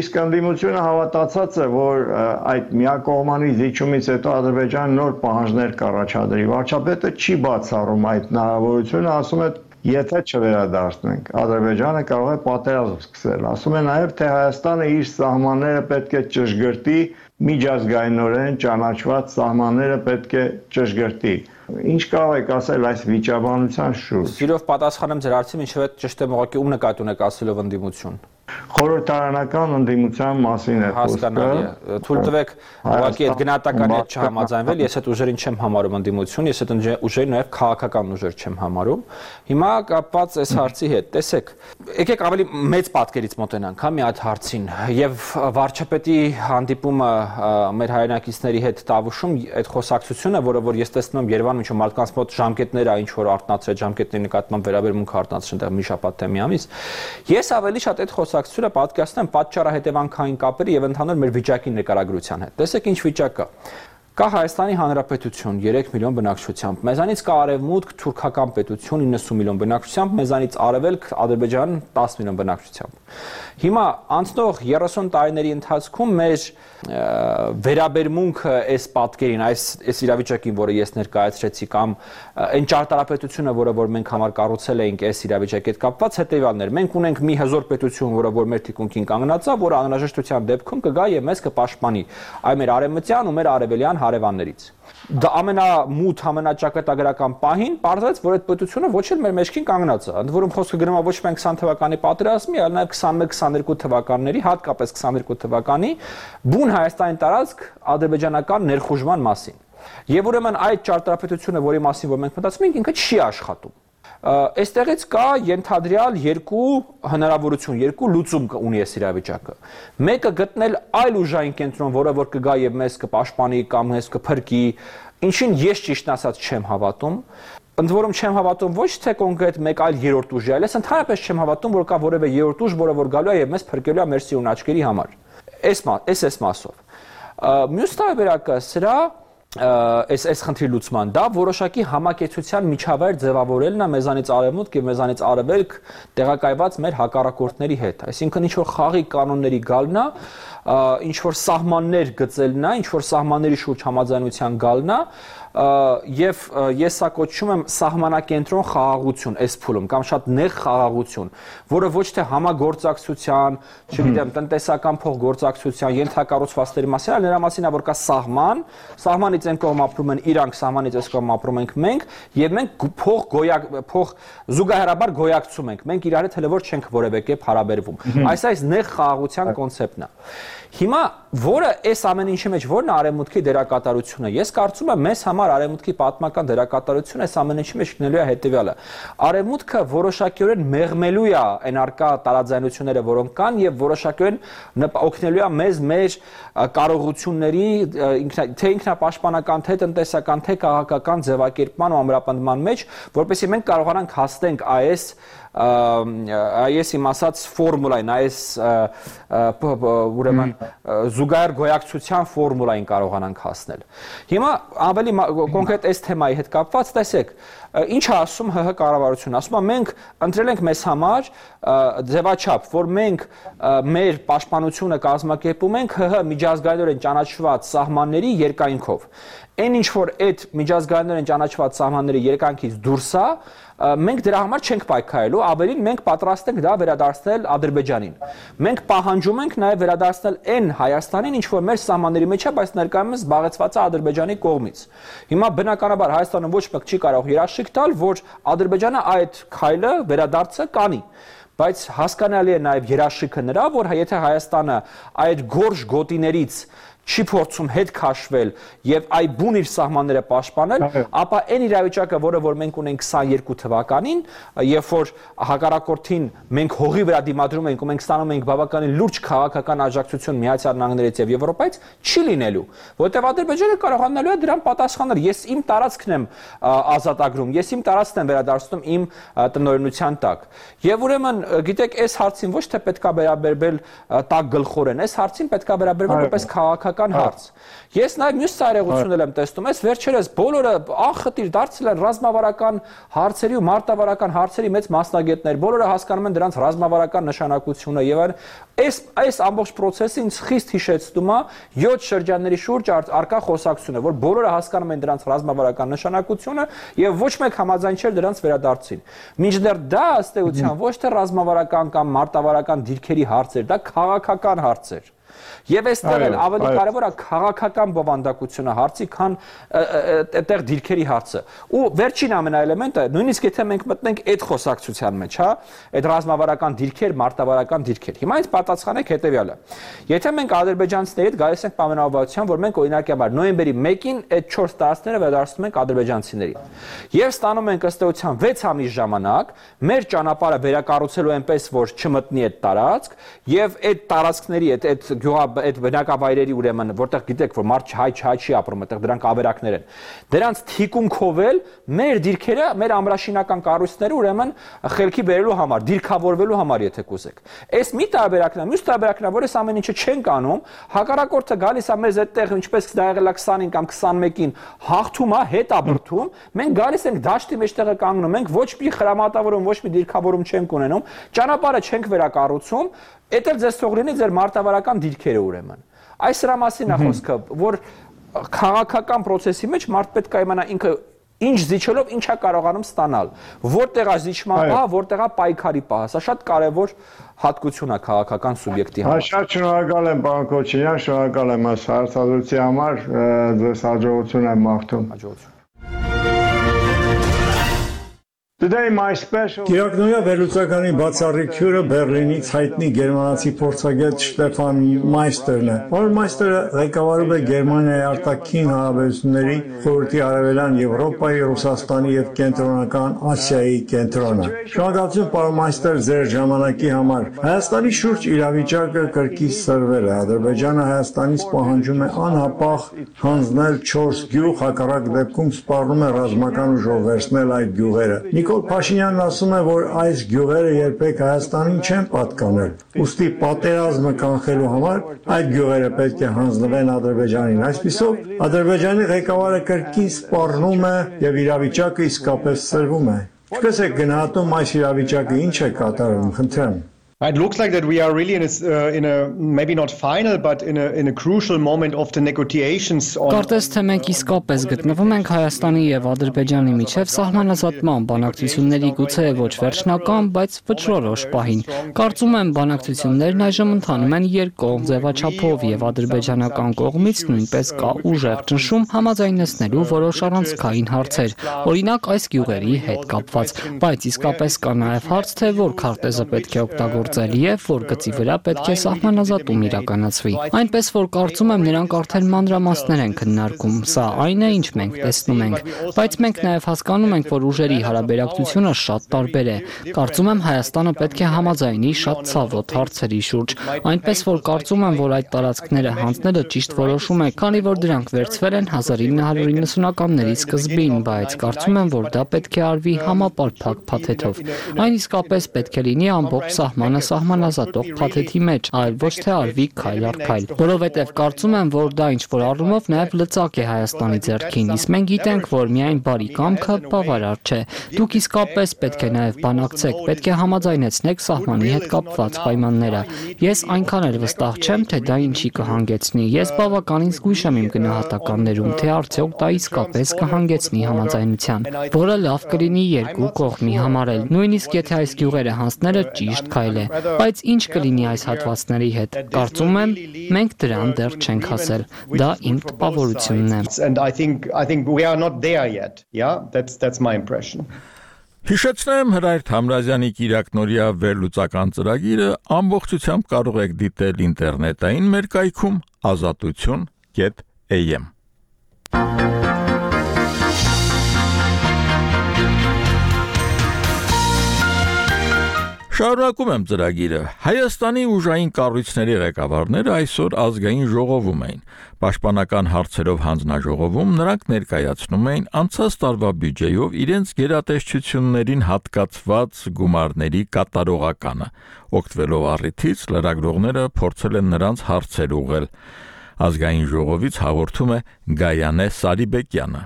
S4: իսկ ընդդիմությունը հավատացած է, որ այդ միակողմանի զիջումից հետո Ադրբեջանը նոր պահանջներ կառաջադրի։ Վարչապետը չի բացառում այդ հնարավորությունը, ասում է, եթե չվերադարձնենք, Ադրբեջանը կարող է պատերազմ սկսել։ Ասում է նաև, թե Հայաստանը իր սահմանները պետք է ճշգրտի, միջազգայինորեն ճանաչված սահմանները պետք է ճշգրտի։ Ինչ կարող եք ասել այս վիճաբանության շուրջ։
S10: Սիրով պատասխանեմ ձեր հարցին, ինչև է ճշտեմ ուղղակի ում նկատի ունեք ասելով ընդդիմություն։
S4: Խորհրդարանական ընդդիմության մասին է խոսքը։
S10: Թույլ տվեք ուղղակի այդ գնահատականի հետ չհամաձայնվել, ես այդ ուժերին չեմ համարում ընդդիմություն, ես այդ ուժերին նաև քաղաքական ուժեր չեմ համարում։ Հիմա կապված այս հարցի հետ, տեսեք, եկեք ավելի մեծ պատկերից մոտենանք, հա, մի հատ հարցին, եւ վարչապետի հանդիպումը մեր հայրենակիցների հետ Տավուշում այդ խոսակցությունը, որը որ ես տեսնում եմ Երևանում, ինչ որ մարդկանց մոտ ժամկետներ է, ինչ որ արտնացրել ժամկետների նկատմամբ վերաբերմունք արտնացրել այնտեղ մի շաբաթ թե մի ամիս։ Ես ավելի շատ այդ խոսակցությունը պատկերացնում եմ պատճառահետևանքային կապերի եւ ընդհանուր մեր վիճակի նկարագրության հետ։ Տեսեք ինչ վիճակ կա։ Կա Հայաստանի Հանրապետություն երեք միլիոն բնակչությամբ, մեզանից կա Արևմուտք թուրքական պետություն իննսուն միլիոն բնակչությամբ, մեզանից Արևելք Ադրբեջան տասը միլիոն բնակչությամբ։ Հիմա անցնող երեսուն տարիների ընթացքում մեր վերաբերմունքը այս պատկերին, այս այս իրավիճակին, որը ես ներկայացրեցի, կամ այն ճարտարապետությունը, որը որ մենք համար կառուցել էինք այս իրավիճակի հետ կապված, հետևյալն էր։ Մենք ունենք մի հզոր պետություն, որը որ մեր թիկունքին կանգնած է, որը անհրաժեշտության դեպքում կգա եւ մեզ կպաշտպանի այ մեր արևմտյան ու մեր արևելյան հարևաններից։ Դա ամենամութ, ամենաճակատագրական պահին պարզվեց, որ այդ պետությունը ոչ էլ մեր մեջքին կանգնած է։ Ընդ որում խոսքը գնում է ոչ միայն քսան թվականի պատերազմի, այլ նաև քսանմեկ քսաներկու թվականների, հատկապես քսաներկու թվականի բուն Հայաստանի տարածք ադրբեջանական ներխուժման մասին։ Եվ ուրեմն այդ ճարտարապետությունը, որի մասին որ մենք մտածում ենք, ինքը չի աշխատում։ Այստեղից կա ենթադրյալ երկու հնարավորություն, երկու լուծում ունի այս իրավիճակը։ Մեկը գտնել այլ ուժային կենտրոն, որը որ կգա եւ մեզ կպաշտպանի կամ մեզ կփրկի, ինչին ես ճիշտ ասած չեմ հավատում։ Ընդ որում չեմ հավատում ոչ թե կոնկրետ մեկ այլ երրորդ ուժի, այլ ես ընդհանրապես չեմ հավատում, որ կա որևէ երրորդ ուժ, որը որ գալու է եւ մեզ փրկելու է մեր սիրուն աչքերի համար։ Այս այս այս մասով։ Մյուս տարբերակը սրա այս այս խնդրի լուծման դա որոշակի համակեցության միջավայր ձևավորելն է մեզանից արևմուտք եւ մեզանից արևելք տեղակայված մեր հակառակորդների հետ, այսինքն ինչ որ խաղի կանոնների գալն է, ինչ որ սահմաններ գծելն է, ինչ որ սահմանների շուրջ համաձայնության գալն է, եւ ես սա կոչում եմ սահմանակենտրոն խաղաղություն այս փուլում կամ շատ նեղ խաղաղություն, որը ոչ թե համագործակցության, չգիտեմ, տնտեսական փոխգործակցության ենթակառուցվածքների մասին, այլ նրա մասին է, որ կա սահման, սահմանից այն կողմ ապրում են իրանք, սահմանից այս կողմ ապրում ենք մենք, եւ մենք փող գոյակ փող զուգահեռաբար գոյակցում ենք, մենք իրար հետ հələ որ չենք որևէ կերպ հարաբերվում։ Այս այս նեղ խաղաղության կոնցեպտն է։ Հիմա որը այս ամեն ինչի մեջ որն է արևմուտքի դերակատարությունը։ Ես կարծում եմ մեզ համար արևմուտքի պատմական դերակատարությունը այս ամեն ինչի մեջ գտնելու է հետևյալը։ Արևմուտքը որոշակիորեն մեղմելու է այն արկա տարաձայնությունները, որոնք կան, եւ որոշակիորեն օգնելու է մեզ մեր կարողությունների թե ինքնապաշտպանական, թե տնտեսական, թե քաղաքական ձևակերպման ու ամրապնդման մեջ, որպեսզի մենք կարողանանք հասնենք այս այս իմ ասած ֆորմուլային, այս ուրեմն զուգահեռ գոյակցության ֆորմուլային կարողանանք հասնել։ Հիմա ավելի կոնկրետ այս թեմայի հետ կապված, տեսեք, ինչ է ասում ՀՀ կառավարությունը, ասում է մենք ընտրել ենք մեզ համար ձևաչափ, որ մենք մեր պաշտպանությունը կազմակերպում ենք ՀՀ միջազգայինորեն ճանաչված սահմանների երկայնքով։ Այն ինչ որ այդ միջազգայինորեն ճանաչված սահմանների երկայնքից դուրս է, մենք դրա համար չենք պայքարելու, ավելին մենք պատրաստ ենք դա վերադարձնել Ադրբեջանին։ Մենք պահանջում ենք նաև վերադարձնել այն Հայաստանին, ինչ որ մեր սահմանների մեջ է, բայց ներկայումս զբաղեցված է Ադրբեջանի կողմից։ Հիմա բնականաբար Հայաստանը ոչ մեկ չի կարող երաշխիք տալ, որ Ադրբեջանը այդ քայլը վերադարձը կանի։ Բայց հասկանալի է նաև երաշխիքը նրա, որ եթե Հայաստանը այդ գորշ գոտիներից չի փորձում հետ քաշվել եւ այ բուն իր սահմանները պաշտպանել, ապա այն իրավիճակը, որը որ մենք ունենք քսաներկու թվականին, երբ որ հակառակորդին մենք հողի վրա դիմադրում ենք ու մենք ստանում ենք բավականին լուրջ քաղաքական աջակցություն Միացյալ Նահանգներից եւ Եվրոպայից, չի լինելու, որտեղ Ադրբեջանը կարողանալու է դրան պատասխանել։ Ես իմ տարածքն եմ ազատագրում, ես իմ տարածքն եմ վերադարձնում իմ տնօրինության տակ։ Եվ ուրեմն, գիտեք, այս հարցին ոչ թե պետքա վերաբերվել տակ գլխորեն, այս հարցին պետքա վերաբերվել որպես քաղաքական հարց։ Ես նաև մյուս ծայրեղություններ եմ տեսնում, այս վերջերս բոլորը անխտիր դարձել են ռազմավարական հարցերի ու մարտավարական հարցերի մեծ մասնագետներ, բոլորը հասկանում են դրանց ռազմավարական նշանակությունը եւ այս այս ամբողջ process-ը ինձ խիստ հիշեցնում է յոթ շրջանների շուրջ արկա խոսակցությունը, որ բոլորը հասկանում են դրանց ռազմավարական նշանակությունը եւ ոչ մեկ համաձայն չէր դրանց վերադարձին։ Մինչդեռ դա ըստ էության ոչ թե ռազմավարական կամ մարտավարական դիրքերի հարց էր, դա քաղաքական հարց էր։ Եվ այստեղ էլ ավելի կարևոր է քաղաքական բովանդակությունը հարցի, քան այդտեղ դիրքերի հարցը։ Ու վերջին ամենաէլեմենտը, նույնիսկ եթե մենք մտնենք այդ խոսակցության մեջ, հա, այդ ռազմավարական դիրքեր, մարտավարական դիրքեր։ Հիմա ինձ պատասխանեք հետեւյալը։ Եթե մենք ադրբեջանցիների հետ գալիս ենք պայմանավորվածության, որ մենք օրինակաբար նոյեմբերի մեկին այդ չորս տարածքները վերադարձնում ենք ադրբեջանցիներին, եւ ստանում ենք ըստ էության վեց ամիս ժամանակ մեր ճանապարհը վերակառուցելու այնպես, որ չմտնի այդ տարածք, եւ այդ տարածքների այդ այդ գյուղա այդ բնակավայրերի ուրեմն որտեղ գիտեք որ մարդ հայ հայ չի ապրում այդտեղ դրանք ավերակներ են դրանց թիկունքով էլ մեր դիրքերը մեր ամրաշինական կառույցները ուրեմն խելքի բերելու համար դիրքավորվելու համար եթե կուզեք այս մի տարբերակն է մյուս տարբերակն է որ այս ամեն ինչը չենք անում հակառակորդը գալիս է մեզ այդտեղ ինչպես դա եղել է քսանին կամ քսանմեկին հաղթում է հետ ապրթում մենք գալիս ենք դաշտի մեջտեղը կանգնում ենք ոչ մի խրամատավորում ոչ մի դիրքավորում չենք ունենում ճանապարհը չենք վերակառուցում Էդ էլ ձեզ թող լինի ձեր մարտավարական դիրքերը ուրեմն։ Այս սրա մասին է խոսքը, որ քաղաքական process-ի մեջ մարդ պետք է իմանա ինքը ինչ զիջելով ինչա կարողանում ստանալ։ Որտեղ է զիջման պահը, որտեղ է պայքարի պահը։ Սա շատ կարևոր հատկություն է քաղաքական սուբյեկտի համար։
S4: Շատ շնորհակալ եմ, պարոն Քոչարյան, շնորհակալ եմ այս հարցազրույցի համար, ձեզ հաջողություն եմ մաղթում։
S10: Հաջողություն։
S5: Կիրակնոյա վերլուծականի բացառիկ հյուրը Բեռլինից հայտնի գերմանացի փորձագետ Շտեֆան Մայստերն է։ Պարոն Մայստերը ղեկավարում է Գերմանիայի արտաքին հարաբերությունների խորհրդի Արևելյան Եվրոպայի, Ռուսաստանի եւ Կենտրոնական Ասիայի կենտրոնը։ Շնորհակալություն, պարոն Մայստեր, ձեր ժամանակի համար։ Հայաստանի շուրջ իրավիճակը կրկից սրվել է։ Ադրբեջանը Հայաստանից պահանջում է անհապաղ հանձնել չորս գյուղ, հակառակ դեպքում սպառնում է ռազմական ուժով վերցնել այդ գյուղերը։ Նիկոլ Փաշինյանն ասում է, որ այս գյուղերը երբեք Հայաստանին չեն պատկանել։ Ուստի պատերազմը կանխելու համար այդ գյուղերը պետք է հանձնվեն Ադրբեջանին։ Այսպիսով, Ադրբեջանի ղեկավարը կրկին սպառնում է եւ իրավիճակը իսկապես սրվում է։ Ինչպես է գնահատում այս իրավիճակը, ինչ է կատարվում, խնդրեմ։
S7: It looks like that we are really in a, uh, in a maybe not final but in a in a crucial moment of the negotiations on
S3: Կարծես թե մենք իսկապես գտնվում ենք Հայաստանի եւ Ադրբեջանի միջև սահմանազատման բանակցությունների գուցե ոչ վերջնական, բայց վճռորոշ պահին։ Կարծում եմ բանակցություններն այժմ ընթանում են երկկողմ ձևաչափով եւ ադրբեջանական կողմից նույնպես կա ուժեղ ճնշում համաձայնեցնելու որոշ առանցքային հարցեր, օրինակ այս գյուղերի հետ կապված, բայց իսկապես կա նաեւ հարց թե որ քարտեզը պետք է օգտագործել եւ որ գծի վրա պետք է սահմանազատում իրականացվի։ Այնպես որ կարծում եմ նրանք արդեն մանրամասներ են քննարկում։ Սա այն է, ինչ մենք տեսնում ենք, բայց մենք նաեւ հասկանում ենք, որ ուժերի հարաբերակցությունը շատ տարբեր է։ Կարծում եմ Հայաստանը պետք է համաձայնի շատ ցավոտ հարցերի շուրջ, այնպես որ կարծում եմ, որ այդ տարածքները հանձնելը ճիշտ որոշում է, քանի որ դրանք վերցվել են հազար ինը հարյուր իննսունականների սկզբին, բայց կարծում եմ, որ դա պետք է արվի համապարփակ փաթեթով։ Այն իսկապես պետք է լինի ամբողջ սահման Հայաստանը սահմանազատող փաթեթի մեջ, այլ ոչ թե արվի քայլ առ քայլ, որովհետև կարծում եմ, որ դա ինչ-որ առումով նաև լծակ է Հայաստանի ձեռքին, իսկ մենք գիտենք, որ միայն բարի կամքը բավարար չէ։ Դուք իսկապես պետք է նաև բանակցեք, պետք է համաձայնեցնեք սահմանի հետ կապված պայմանները։ Ես այնքան էլ վստահ չեմ, թե դա ինչի կհանգեցնի։ Ես բավականին զգույշ եմ իմ գնահատականներում, թե արդյոք դա իսկապես կհանգեցնի համաձայնության, որը լավ կլինի երկու կողմի համար էլ, նույնիսկ եթե այս գյուղերը հանձնելը ճիշտ քայլ է։ Բայց ինչ կլինի այս հատվածների հետ։ Կարծում եմ, մենք դրան դեռ չենք հասել։ Դա իմ տպավորությունն է։
S7: And I think I think we are not there yet. Yeah, that's that's my impression.
S1: Հիշեցնեմ Հրայր Թամրազյանի Կիրակնորիա վերլուծական ծրագիրը ամբողջությամբ կարող եք դիտել ինտերնետային մեր կայքում ազատություն կետ A M Շարունակում եմ ծրագիրը։ Հայաստանի ուժային կառույցների ղեկավարները այսօր ազգային ժողովում էին։ Պաշտպանական հարցերով հանձնաժողովում նրանք ներկայացնում էին անցած տարվա բյուջեով իրենց գերատեսչություններին հատկացված գումարների կատարողականը։ Օգտվելով առիթից լրագրողները փորձել են նրանց հարցեր ուղղել։ Ազգային ժողովից հաղորդում է Գայանե Սարիբեկյանը։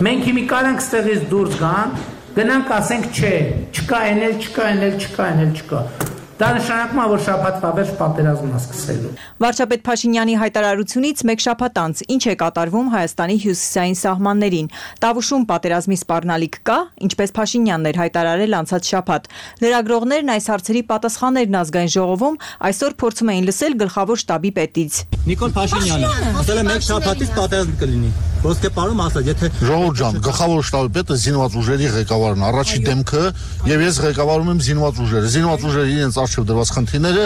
S2: Մենք հիմի կարանք ստեղից դուրս գան, գնանք ասենք չէ, չկա էնել, չկա էնել, չկա էնել, չկա։ Դա նշանակում է, որ շաբաթվա վերջ պատերազմն է սկսելու։
S6: Վարչապետ Փաշինյանի հայտարարությունից մեկ շաբաթ անց ինչ է կատարվում Հայաստանի հյուսիսային սահմաններին։ Տավուշում պատերազմի սպառնալիք կա, ինչպես Փաշինյանն էր հայտարարել անցած շաբաթ։ Լրագրողներն այս հարցերի պատասխաններն ազգային ժողովում այսօր փորձում էին լսել գլխավոր շտաբի պետից։
S8: Նիկոլ Փաշինյանը, ասել է մեկ շաբաթից պատերազմ կլինի։ Ոսկե պարում ասաց, եթե
S23: Ժողովուրդ ջան, գլխավոր շտաբի պետը զինված ուժերի ղեկավարն է, առաջի դեմքը, եւ ես ղեկավարում եմ զինված ուժերը։ Զինված ուժերը իրենց արժեվ դրված խնդիրները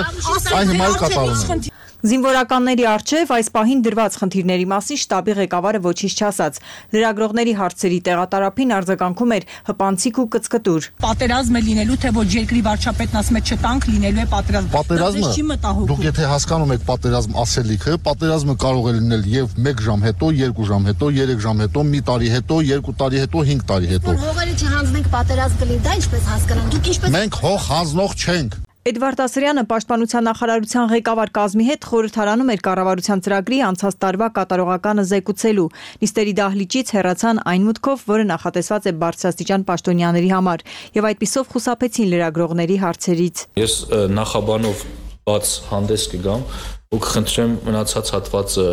S23: այն հիմա էլ կատարում են։
S6: Զինվորականների արչև այս պահին դրված խնդիրների մասին շտաբի ղեկավարը ոչինչ չասաց։ Լրագրողների հարցերի տեղատարափին արձագանքում էր հպանցիկ ու կծկտուր։
S24: Պատերազմ է լինելու, թե ոչ երկրի վարչապետն ասում է չտանք, լինելու է պատերազմ։
S23: Պատերազմը, դուք եթե հասկանում եք պատերազմ ասելիքը, պատերազմը կարող է լինել եւ մեկ ժամ հետո, երկու ժամ հետո, երեք ժամ հետո, մի տարի հետո, երկու տարի հետո, հինգ տարի հետո։
S25: Հողերը չհանձնենք պատերազմ կլինի, դա ինչպես հասկանան։ Դուք ինչպես
S23: Մենք հող հանձնող չենք։
S6: Էդվարդ Ասրյանը պաշտպանության նախարարության ղեկավար կազմի հետ խորհրդարանում էր կառավարության ծրագրի անցած տարվա կատարողականը զեկուցելու։ Նիստերի դահլիճից հեռացան այն մուտքով, որը նախատեսված է բարձրաստիճան պաշտոնյաների համար, եւ այդպիսով խուսափեցին լրագրողների հարցերից։
S26: Ես նախաբանով բաց հանդես կգամ ու կխնդրեմ մնացած հատվածը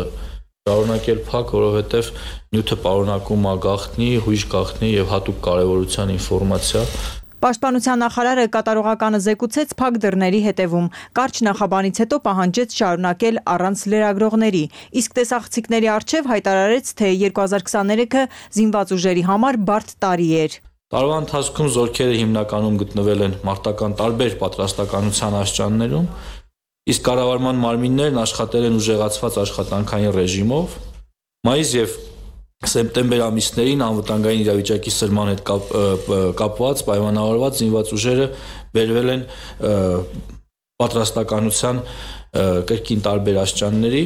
S26: շարունակել փակ, որովհետեւ նյութը պարունակում է գաղտնի, հույժ գաղտնի եւ հատուկ կարեւորության ինֆորմացիա։
S6: Պաշտպանության նախարարը կատարողականը զեկուցեց փակ դռների հետևում։ Կարճ նախաբանից հետո պահանջեց շարունակել առանց լրագրողների, իսկ տեսախցիկների առջև հայտարարեց, թե երկու հազար քսաներեքը զինված ուժերի համար բարդ տարի էր։
S26: Տարվա ընթացքում զորքերը հիմնականում գտնվել են մարտական տարբեր պատրաստականության աստիճաններում, իսկ կառավարման մարմիններն աշխատել են ուժեղացված աշխատանքային ռեժիմով։ Մայիս եւ Սեպտեմբեր ամիսներին անվտանգային իրավիճակի սրման հետ կապ, կապված պայմանավորված զինված ուժերը բերվել են պատրաստականության կրկին տարբեր աստիճանների։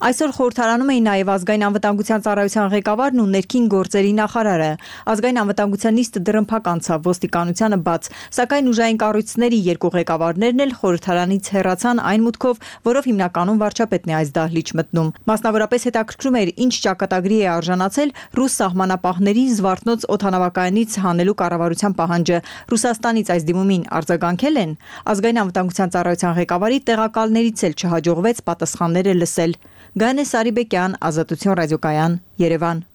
S6: Այսօր խորհրդարանում էին նաև ազգային անվտանգության ծառայության ղեկավարն ու ներքին գործերի նախարարը։ Ազգային անվտանգության նիստը դռնփակ անցավ, ոստիկանությանը բաց, սակայն ուժային կառույցների երկու ղեկավարներն էլ խորհրդարանից հեռացան այն մուտքով, որով հիմնականում վարչապետն է այս դահլիճ մտնում։ Մասնավորապես հետաքրքրում էր, ինչ ճակատագրի է արժանացել ռուս սահմանապահների Զվարթնոց օդանավակայանից հանելու կառավարության պահանջը։ Ռուսաստանից այս դիմումին արձագանքել են։ Ազգային անվտանգության ծառայության ղեկավարի տեղակալներից էլ չհաջողվեց պատասխանները լսել։ Գայանե Սարիբեկյան, Ազատություն ռադիոկայան, Երևան։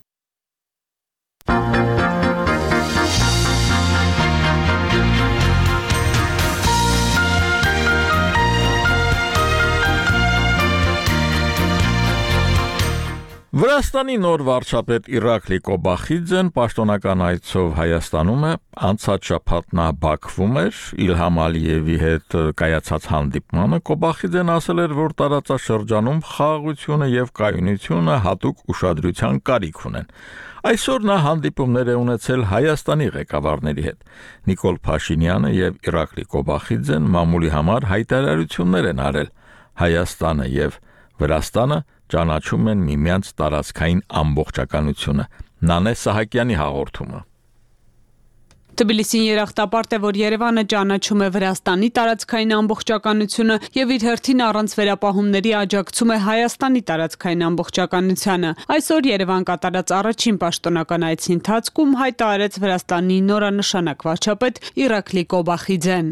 S1: Վրաստանի նոր վարչապետ Իրակլի Կոբախիձեն պաշտոնական այցով Հայաստանում է, անցած շաբաթ նա Բաքվում էր, Իլհամ Ալիևի հետ կայացած հանդիպմանը Կոբախիձեն ասել էր, որ տարածաշրջանում խաղաղությունը եւ կայունությունը հատուկ ուշադրության կարիք ունեն։ Այսօր նա հանդիպումներ է ունեցել Հայաստանի ղեկավարների հետ։ Նիկոլ Փաշինյանը եւ Իրակլի Կոբախիձեն մամուլի համար հայտարարություններ են արել։ Հայաստանը եւ Վրաստանը ճանաչում են միմյանց տարածքային ամբողջականությունը։ Նանե Սահակյանի հաղորդումը։
S9: Թբիլիսին երախտապարտ է, որ Երևանը ճանաչում է Վրաստանի տարածքային ամբողջականությունը եւ իր հերթին առանց վերապահումների աջակցում է Հայաստանի տարածքային ամբողջականությանը։ Այսօր Երևան կատարած առաջին պաշտոնական այցի ընթացքում հայտարարեց Վրաստանի նորանշանակ վարչապետ Իրակլի Կոբախիձեն։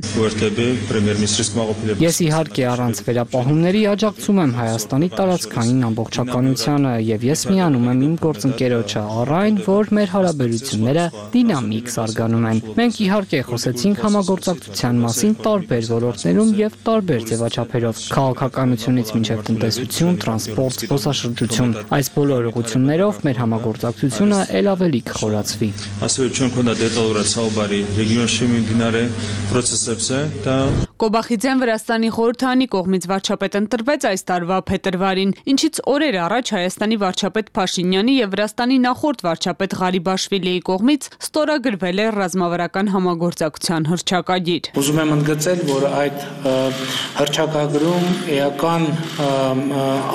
S3: Ես իհարկե առանց վերապահումների աջակցում եմ Հայաստանի տարածքային ամբողջականությանը եւ ես միանում եմ իմ գործընկերոջը առ այն, որ մեր հարաբերությունները դինամիկ զարգանում են։ Մենք իհարկե խոսեցինք համագործակցության մասին տարբեր ոլորտներում եւ տարբեր ձևաչափերով՝ քաղաքականությունից մինչեւ տնտեսություն, տրանսպորտ, զբոսաշրջություն։ Այս բոլոր ուղղություններով մեր համագործակցությունը ել ավելի կխորացվի։
S9: Կոբախիձեն Վրաստանի խորհրդանի կողմից վարչապետ ընտրվեց այս տարվա փետրվարին, ինչից օրեր առաջ Հայաստանի վարչապետ Փաշինյանի եւ Վրաստանի նախորդ վարչապետ Ղարիբաշվիլիի կողմից ստորագրվել է ռազմավարական համագործակցության հռչակագիր։
S2: Ուզում եմ ընդգծել, որ այդ հռչակագրում էական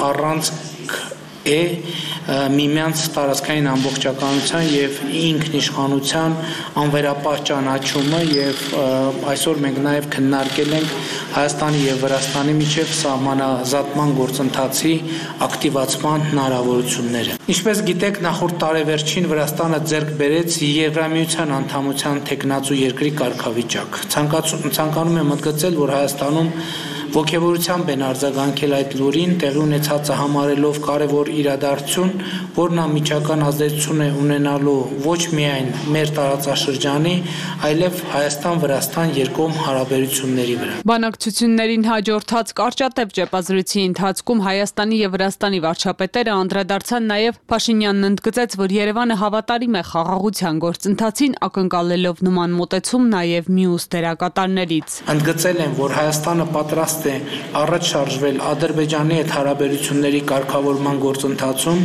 S2: առանցք է միմյանց տարածքային ամբողջականության եւ ինքնիշխանության անվերապահ ճանաչումը եւ այսօր մենք նաեւ քննարկել ենք Հայաստանի եւ Վրաստանի միջև սահմանազատման գործընթացի ակտիվացման հնարավորությունները։ Ինչպես գիտեք, նախորդ տարեվերջին Վրաստանը ձեռք բերեց Եվրամիության անդամության թեկնածու երկրի կարգավիճակ։ Ցանկանում եմ ընդգծել, որ Հայաստանում ոգևորությամբ են արձագանքել այդ լուրին, տեղի ունեցածը համարելով կարևոր իրադարձություն, որն անմիջական ազդեցություն է ունենալու ոչ միայն մեր տարածաշրջանի, այլև Հայաստան-Վրաստան երկկողմ հարաբերությունների վրա։
S9: Բանակցություններին հաջորդած կարճատև ճեպազրույցի ընթացքում Հայաստանի եւ Վրաստանի վարչապետերը անդրադարձան նաեւ Փաշինյանն ընդգծեց, որ Երևանը հավատարիմ է խաղաղության գործընթացին, ակնկալելով նման մոտեցում նաեւ մյուս դերակատարներից։
S2: Ընդգծել են, որ Հայաստանը պատրաստ է առաջ շարժվել Ադրբեջանի հետ հարաբերությունների կարգավորման գործընթացում,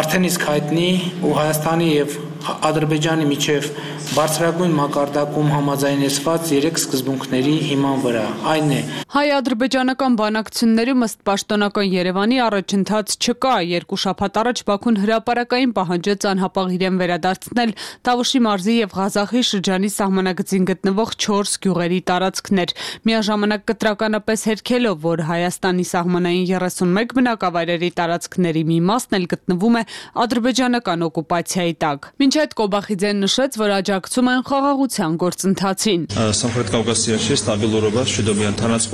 S2: արդեն իսկ հայտնի ու Հայաստանի եւ Ադրբեջանի միջև բարձրագույն մակարդակում համաձայնեցված երեք սկզբունքների հիման վրա։ Այն է
S9: հայ-ադրբեջանական բանակցություններում ըստ պաշտոնական Երևանի առաջընթաց չկա։ Երկու շաբաթ առաջ Բաքուն հրապարակային պահանջեց անհապաղ իրեն վերադարձնել Տավուշի մարզի եւ Ղազախի շրջանի սահմանագծին գտնվող չորս գյուղերի տարածքներ։ Միաժամանակ կտրականապես հերքելով, որ Հայաստանի սահմանային երեսունմեկ բնակավայրերի տարածքների մի մասն էլ գտնվում է ադրբեջանական օկուպացիայի տակ։ Մինչ այդ Կոբախիձեն նշեց, որ աջակցում են խաղաղության գործընթացին։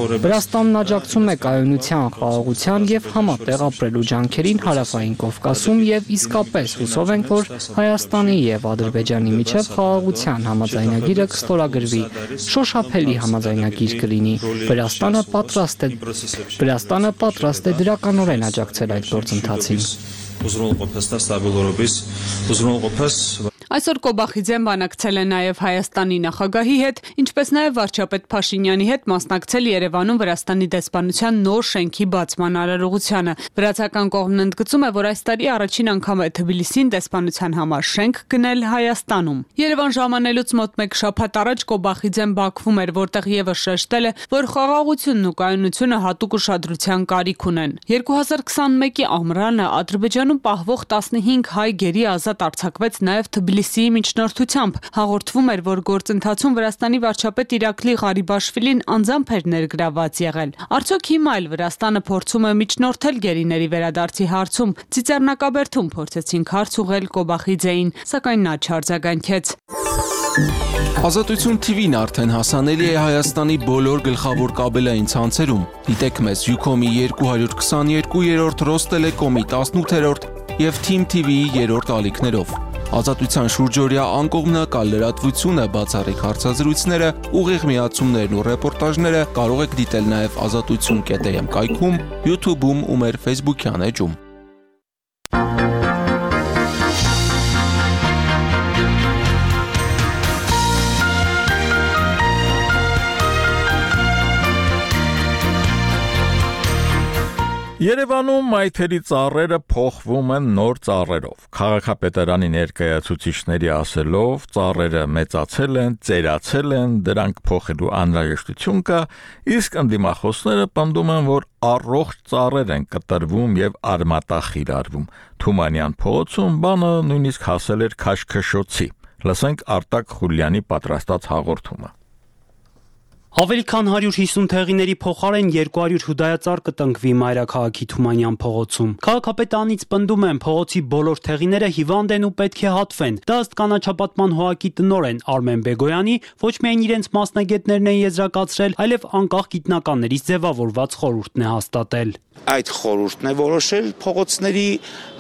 S3: Վրաստանն աջակցում է կայունության, խաղաղության եւ համատեղ ապրելու ջանքերին Հարավային Կովկասում եւ իսկապես հուսով ենք, որ Հայաստանի եւ Ադրբեջանի միջև խաղաղության համաձայնագիրը կստորագրվի։ Շոշափելի համաձայնագիր կլինի։ Վրաստանը պատրաստ է Վրաստանը պատրաստ է դրականորեն աջակցել այդ գործընթացին։
S9: Այսօր Կոբախիձեն բանակցել է նաև Հայաստանի նախագահի հետ, ինչպես նաև վարչապետ Փաշինյանի հետ մասնակցել Երևանում Վրաստանի դեսպանության նոր շենքի բացման արարողությանը։ Վրացական կողմն ընդգծում է, որ այս տարի առաջին անգամ է Թբիլիսին դեսպանության համար շենք գնել Հայաստանում։ Երևան ժամանելուց մոտ մեկ շաբաթ առաջ Կոբախիձեն Բաքվում էր, որտեղ եւս շեշտել է, որ խաղաղությունն ու կայունությունը հատուկ ուշադրության կարիք ունեն։ երկու հազար քսանմեկի ամռանը Ադրբեջանում պահվող տասնհինգ հայ գերի ազատ արձակվեց նաև Թբիլիսիի միջնորդությամբ։ Հաղորդվում էր, որ գործընթացում Վրաստանի վարչապետ Իրակլի Ղարիբաշվիլին անձամբ էր ներգրաված եղել։ Արդյոք հիմա էլ Վրաստանը փորձում է միջնորդել գերիների վերադարձի հարցում։ Ծիծեռնակաբերդում փորձեցինք հարց ուղղել Կոբախիձեին, սակայն նա չարձագանքեց։
S11: Ազատություն թիվին արդեն հասանելի է Հայաստանի բոլոր գլխավոր կաբելային ցանցերում։ Դիտեք մեզ Յուքոմի երկու հարյուր քսաներկուերորդ, Ռոստելեկոմի տասնութերորդ եւ Թիմ թի վիի երրորդ ալիքներով։ Ազատության շուրջօրյա անկողմնակալ լրատվությունը, բացառիկ հարցազրույցները, ուղիղ միացումներն ու ռեպորտաժները կարող եք դիտել նաև ազատություն կետ էմ կայքում, YouTube-ում ու մեր Facebook-յան էջում։
S1: Երևանում մայթերի ծառերը փոխվում են նոր ծառերով։ Քաղաքապետարանի ներկայացուցիչների ասելով, ծառերը մեծացել են, ծերացել են, դրանք փոխելու անհրաժեշտություն կա, իսկ ընդդիմախոսները պնդում են, որ առողջ ծառեր են կտրվում եւ արմատախիլ արվում։ Թումանյան փողոցում բանը նույնիսկ հասել էր քաշքշոցի։ Լսենք Արտակ Խուլյանի պատրաստած հաղորդումը։
S12: Ավելի քան հարյուր հիսուն թեղիների փոխարեն երկու հարյուր հուդայածառ կտնկվի Մայրաքաղաքի Թումանյան փողոցում։ Քաղաքապետարանից պնդում են, փողոցի բոլոր թեղիները հիվանդ են ու պետք է հատվեն։ Դա ըստ կանաչապատման հողակի տնօրեն Արմեն Բեգոյանի ոչ միայն իրենց մասնագետներն են եզրակացրել, այլև անկախ գիտնականներից ձևավորված խորհուրդն է հաստատել։
S13: Այդ խորհուրդն է որոշել փողոցների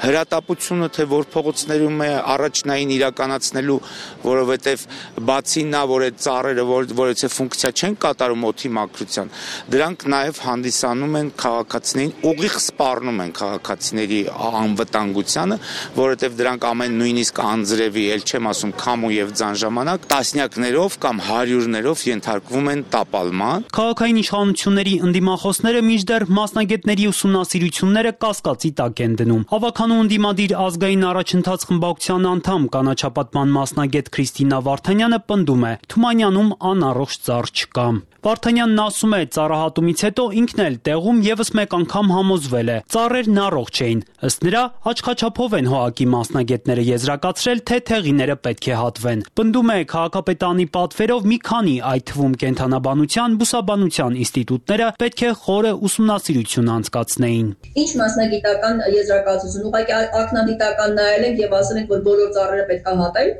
S13: հրատապությունը, թե որ փողոցներում է առաջնային իրականացնելու, որովհետև բացի նա, որ այդ ծառերը որևէ ֆունկցիա չեն կատարում օդի մաքրության, դրանք նաև հանդիսանում են քաղաքացիներին, ուղիղ սպառնում են քաղաքացիների անվտանգությանը, որովհետև դրանք ամեն նույնիսկ անձրևի, ել չեմ ասում քամու եւ ձան ժամանակ, տասնյակներով կամ հարյուրներով ենթարկվում են տապալման։
S12: Քաղաքային իշխանությունների ընդդիմախոսները մինչդեռ մասնագետների ուսումնասիրությունները կասկածի տակ են դնում։ Ավականու ընդդիմադիր ազգային առաջընթաց խմբակցության անդամ կանաչապատման մասնագետ Քրիստինա Վարդանյանը պնդում է, Թումանյանում անառողջ ծառ չկա։ Վարդանյանն ասում է, ծառահատումից հետո ինքն էլ տեղում եւս մեկ անգամ համոզվել է, ծառերն առողջ էին։ Ըստ նրա, աչքաչափով են հողակի մասնագետները եզրակացրել, թե թեղիները պետք է հատվեն։ Պնդում է, քաղաքապետարանի պատվերով մի քանի, այդ թվում կենդանաբանության, բուսաբանության ինստիտուտները պետք է խորը ուսումնասիրություն անցկացնեին։
S14: Ինչ մասնագիտական եզրակացություն, ուղղակի ակնադիտական նայել ենք եւ ասել ենք, որ բոլոր ծառերը պետք է հատել։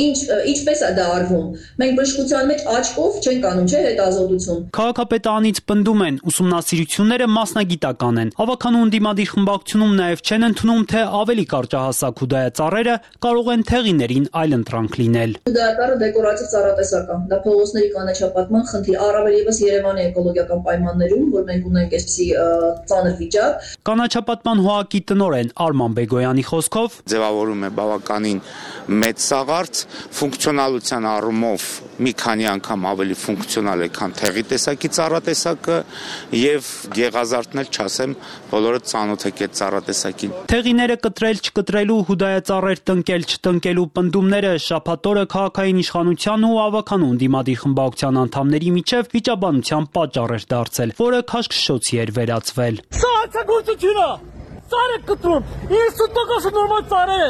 S14: Ինչ ինչպես է դա արվում։ Մենք բժշկության մեջ աչքով չենք անում, չէ՞, հետազոտություն։
S12: Քաղաքապետարանից պնդում են, ուսումնասիրությունները մասնագիտական են։ Ավականու ընդդիմադիր խմբակցությունում նաև չեն ընդունում, թե ավելի կարճահասակ հուդայածառերը կարող են թեղիներին այլընտրանք լինել։
S14: Հուդայածառը դեկորատիվ ծառատեսակ է։ Դա փողոցների կանաչապատման խնդիր, առավել եւս Երևանի էկոլոգիական պայմաններում, որ մենք ունենք այսպիսի ծանր վիճակ։
S12: Կանաչապատման հողակի տնօրեն Արման Բեգոյանի խոսքով
S13: ձևավորում է բավականին մեծ սաղարց, ֆունկցիոնալության առումով մի քանի անգամ ավելի ֆունկցիոնալ է, քան թեղի տեսակի ծառատեսակը եւ գեղազարդն էլ չասեմ, բոլորը ծանոթ եք այդ ծառատեսակին։
S12: Թեղիները կտրել չկտրելու, հուդայածառեր տնկել չտնկելու պնդումները շաբաթ օրը քաղաքային իշխանության ու ավականու ընդդիմադիր խմբակցության անդամների միջև վիճաբանության պատճառ էր դարձել, որը քաշքշոցի էր վերածվել։
S15: Սա հանցագործություն է։ Ծառ է կտրում, իննսուն տոկոսը նորմալ ծառ է։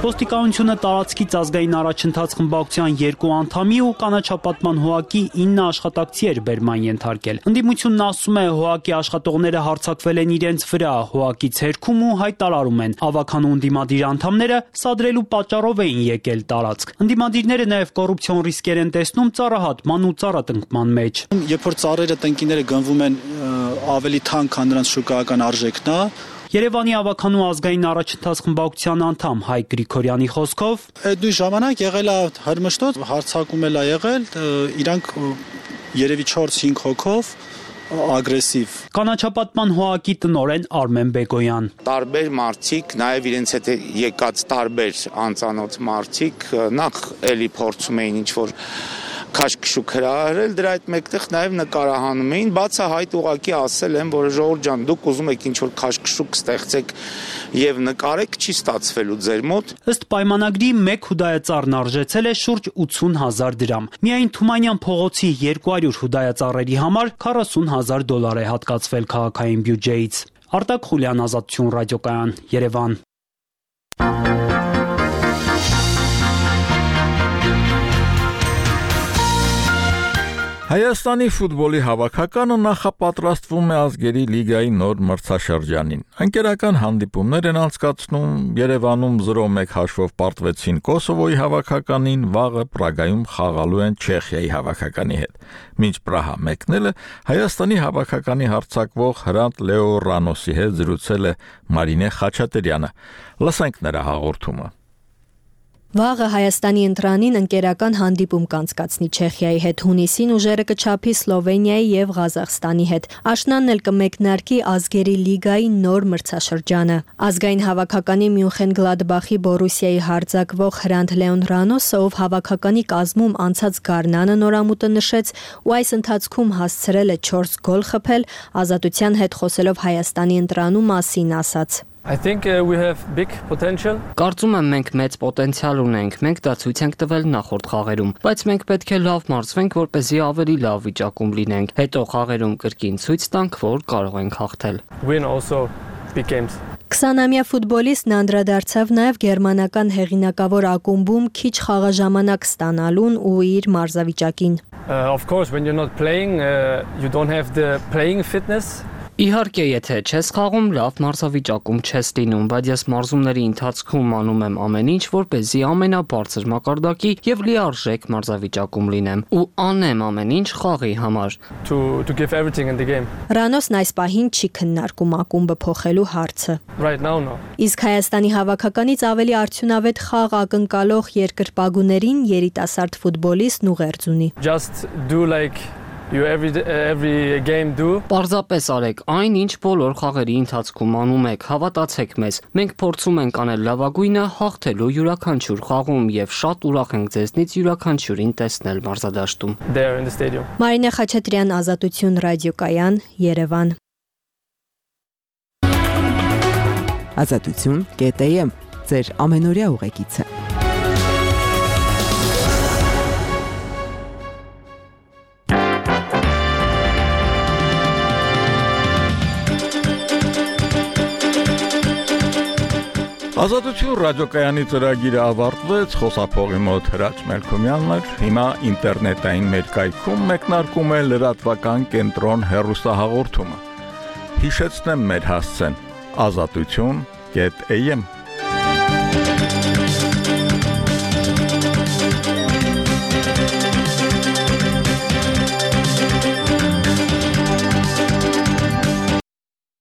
S12: Ոստիկանությունը տարածքից ազգային առաջընթաց խմբակցության երկու անդամի ու կանաչապատման հողակի ինը աշխատակցի էր բերման ենթարկել։ Ընդդիմությունն ասում է, հողակի աշխատողները հարձակվել են իրենց վրա, հողակից հերքում ու հայտարարում են, ավականու ընդդիմադիր անդամները սադրելու պատճառով էին եկել տարածք։ Ընդդիմադիրները նաև կոռուպցիոն ռիսկեր են տեսնում ծառահատման ու ծառատնկման մեջ։
S16: Երբ որ ծառերը տնկիները գնվում են ավելի թանկ, քան նրանց շուկայական արժեքն է,
S12: Երևանի ավականու ազգային առաջընթաց խմբակցության անդամ Հայկ Գրիգորյանի խոսքով
S16: այդ նույն ժամանակ եղել է հրմշտոց, հարձակում էլ է եղել, իրանք երևի չորս-հինգ հոգով ագրեսիվ։
S12: Կանաչապատման հողակի տնօրեն Արմեն Բեգոյան։
S13: Տարբեր մարդիկ, նաև իրենց հետ եկած տարբեր անծանոթ մարդիկ նախ էլի փորձում էին ինչ-որ քաշքշուկ հրահրել, դրա այդ մեկտեղ նաև նկարահանում էին, բացահայտ ուղակի ասել են, որ ժողովուրդ ջան, դուք ուզում եք ինչ-որ քաշքշուկ ստեղծեք եւ նկարեք, չի ստացվելու ձեր մոտ։
S12: Ըստ պայմանագրի մեկ հուդայածառն արժեցել է շուրջ ութսուն հազար դրամ։ Միայն Թումանյան փողոցի երկու հարյուր հուդայածառերի համար քառասուն հազար դոլար է հատկացվել քաղաքային բյուջեից։ Արտակ Խուլյան, Ազատություն ռադիոկայան, Երևան։
S1: Հայաստանի ֆուտբոլի հավաքականը նախապատրաստվում է ազգերի լիգայի նոր մրցաշրջանին։ Անկերական հանդիպումներ են անցկացնում, Երևանում զրո մեկ հաշվով պարտվեցին Կոսովոյի հավաքականին, վաղը Պրագայում խաղալու են Չեխիայի հավաքականի հետ։ Մինչ Պրահա մեկնելը Հայաստանի հավաքականի հարձակվող Հրանտ Լեո Ռանոսի հետ զրուցել է Մարինե Խաչատրյանը։ Լսենք նրա հաղորդումը։
S17: Վաղը Հայաստանի ընտրանին ընկերական հանդիպում կանցկացնի Չեխիայի հետ, հունիսին ուժերը կչափի Սլովենիայի եւ Ղազախստանի հետ։ Աշնանն էլ կմեկնարկի ազգերի լիգայի նոր մրցաշրջանը։ Ազգային հավաքականի Մյունխեն-Գլադբախի Բորուսիայի հարձակվող Հրանտ Լեոն Ռանոսը, ով հավաքականի կազմում անցած գարնանը նորամուտը նշեց ու այս ընթացքում հասցրել է չորս գոլ խփել, Ազատության հետ խոսելով Հայաստանի ընտրանու մասին ասաց.
S4: I think uh, we have big potential.
S3: Կարծում եմ մենք մեծ պոտենցիալ ունենք, մենք դա ցույց ենք տվել նախորդ խաղերում, բայց մենք պետք է լավ մարզվենք, որպեսզի ավելի լավ վիճակում լինենք։ Հետո խաղերում կրկին ցույց տանք, որ կարող ենք հաղթել։
S4: Win also big games.
S17: քսանամյա ֆուտբոլիստն անդրադարձավ նաև գերմանական հեղինակավոր ակումբում քիչ խաղաժամանակ ստանալուն ու իր մարզավիճակին։
S4: Uh, of course when you're not playing uh, you don't have the playing fitness.
S3: Իհարկե, եթե չես խաղում, լավ մարզավիճակում չես լինում, բայց ես մարզումների ընթացքում անում եմ ամեն ինչ, որպեսզի ամենաբարձր մակարդակի եւ լիարժեք մարզավիճակում լինեմ ու անեմ ամեն ինչ խաղի համար։
S4: To to give everything in the game.
S17: Ռանոսն այս պահին չի քննարկում ակումբը փոխելու հարցը։
S4: Right now no.
S17: Իսկ Հայաստանի հավաքականից ավելի արդյունավետ խաղ ակնկալող երկրպագուներին երիտասարդ ֆուտբոլիստն ուղերձ ունի։
S4: Just do like you every every game do.
S3: Պարզապես արեք այն, ինչ բոլոր խաղերի ընթացքում անում եք, հավատացեք մեզ։ Մենք փորձում ենք անել լավագույնը հաղթելու յուրաքանչյուր խաղում եւ շատ ուրախ ենք ձեզնից յուրաքանչյուրին տեսնել մարզադաշտում։
S4: There in the stadium.
S17: Մարինե Խաչատրյան, Ազատություն ռադիոկայան, Երևան։
S18: Ազատություն կետ է եմ, ձեր ամենօրյա ուղեկիցը։
S1: Ազատություն ռադիոկայանի ծրագիրը ավարտվեց, խոսափողի մոտ Հրաչ Մելքոմյանն էր, հիմա ինտերնետային մեր կայքում մեկնարկում է լրատվական կենտրոն հեռուստահաղորդումը։ Հիշեցնեմ մեր հասցեն՝ ազատություն կետ է եմ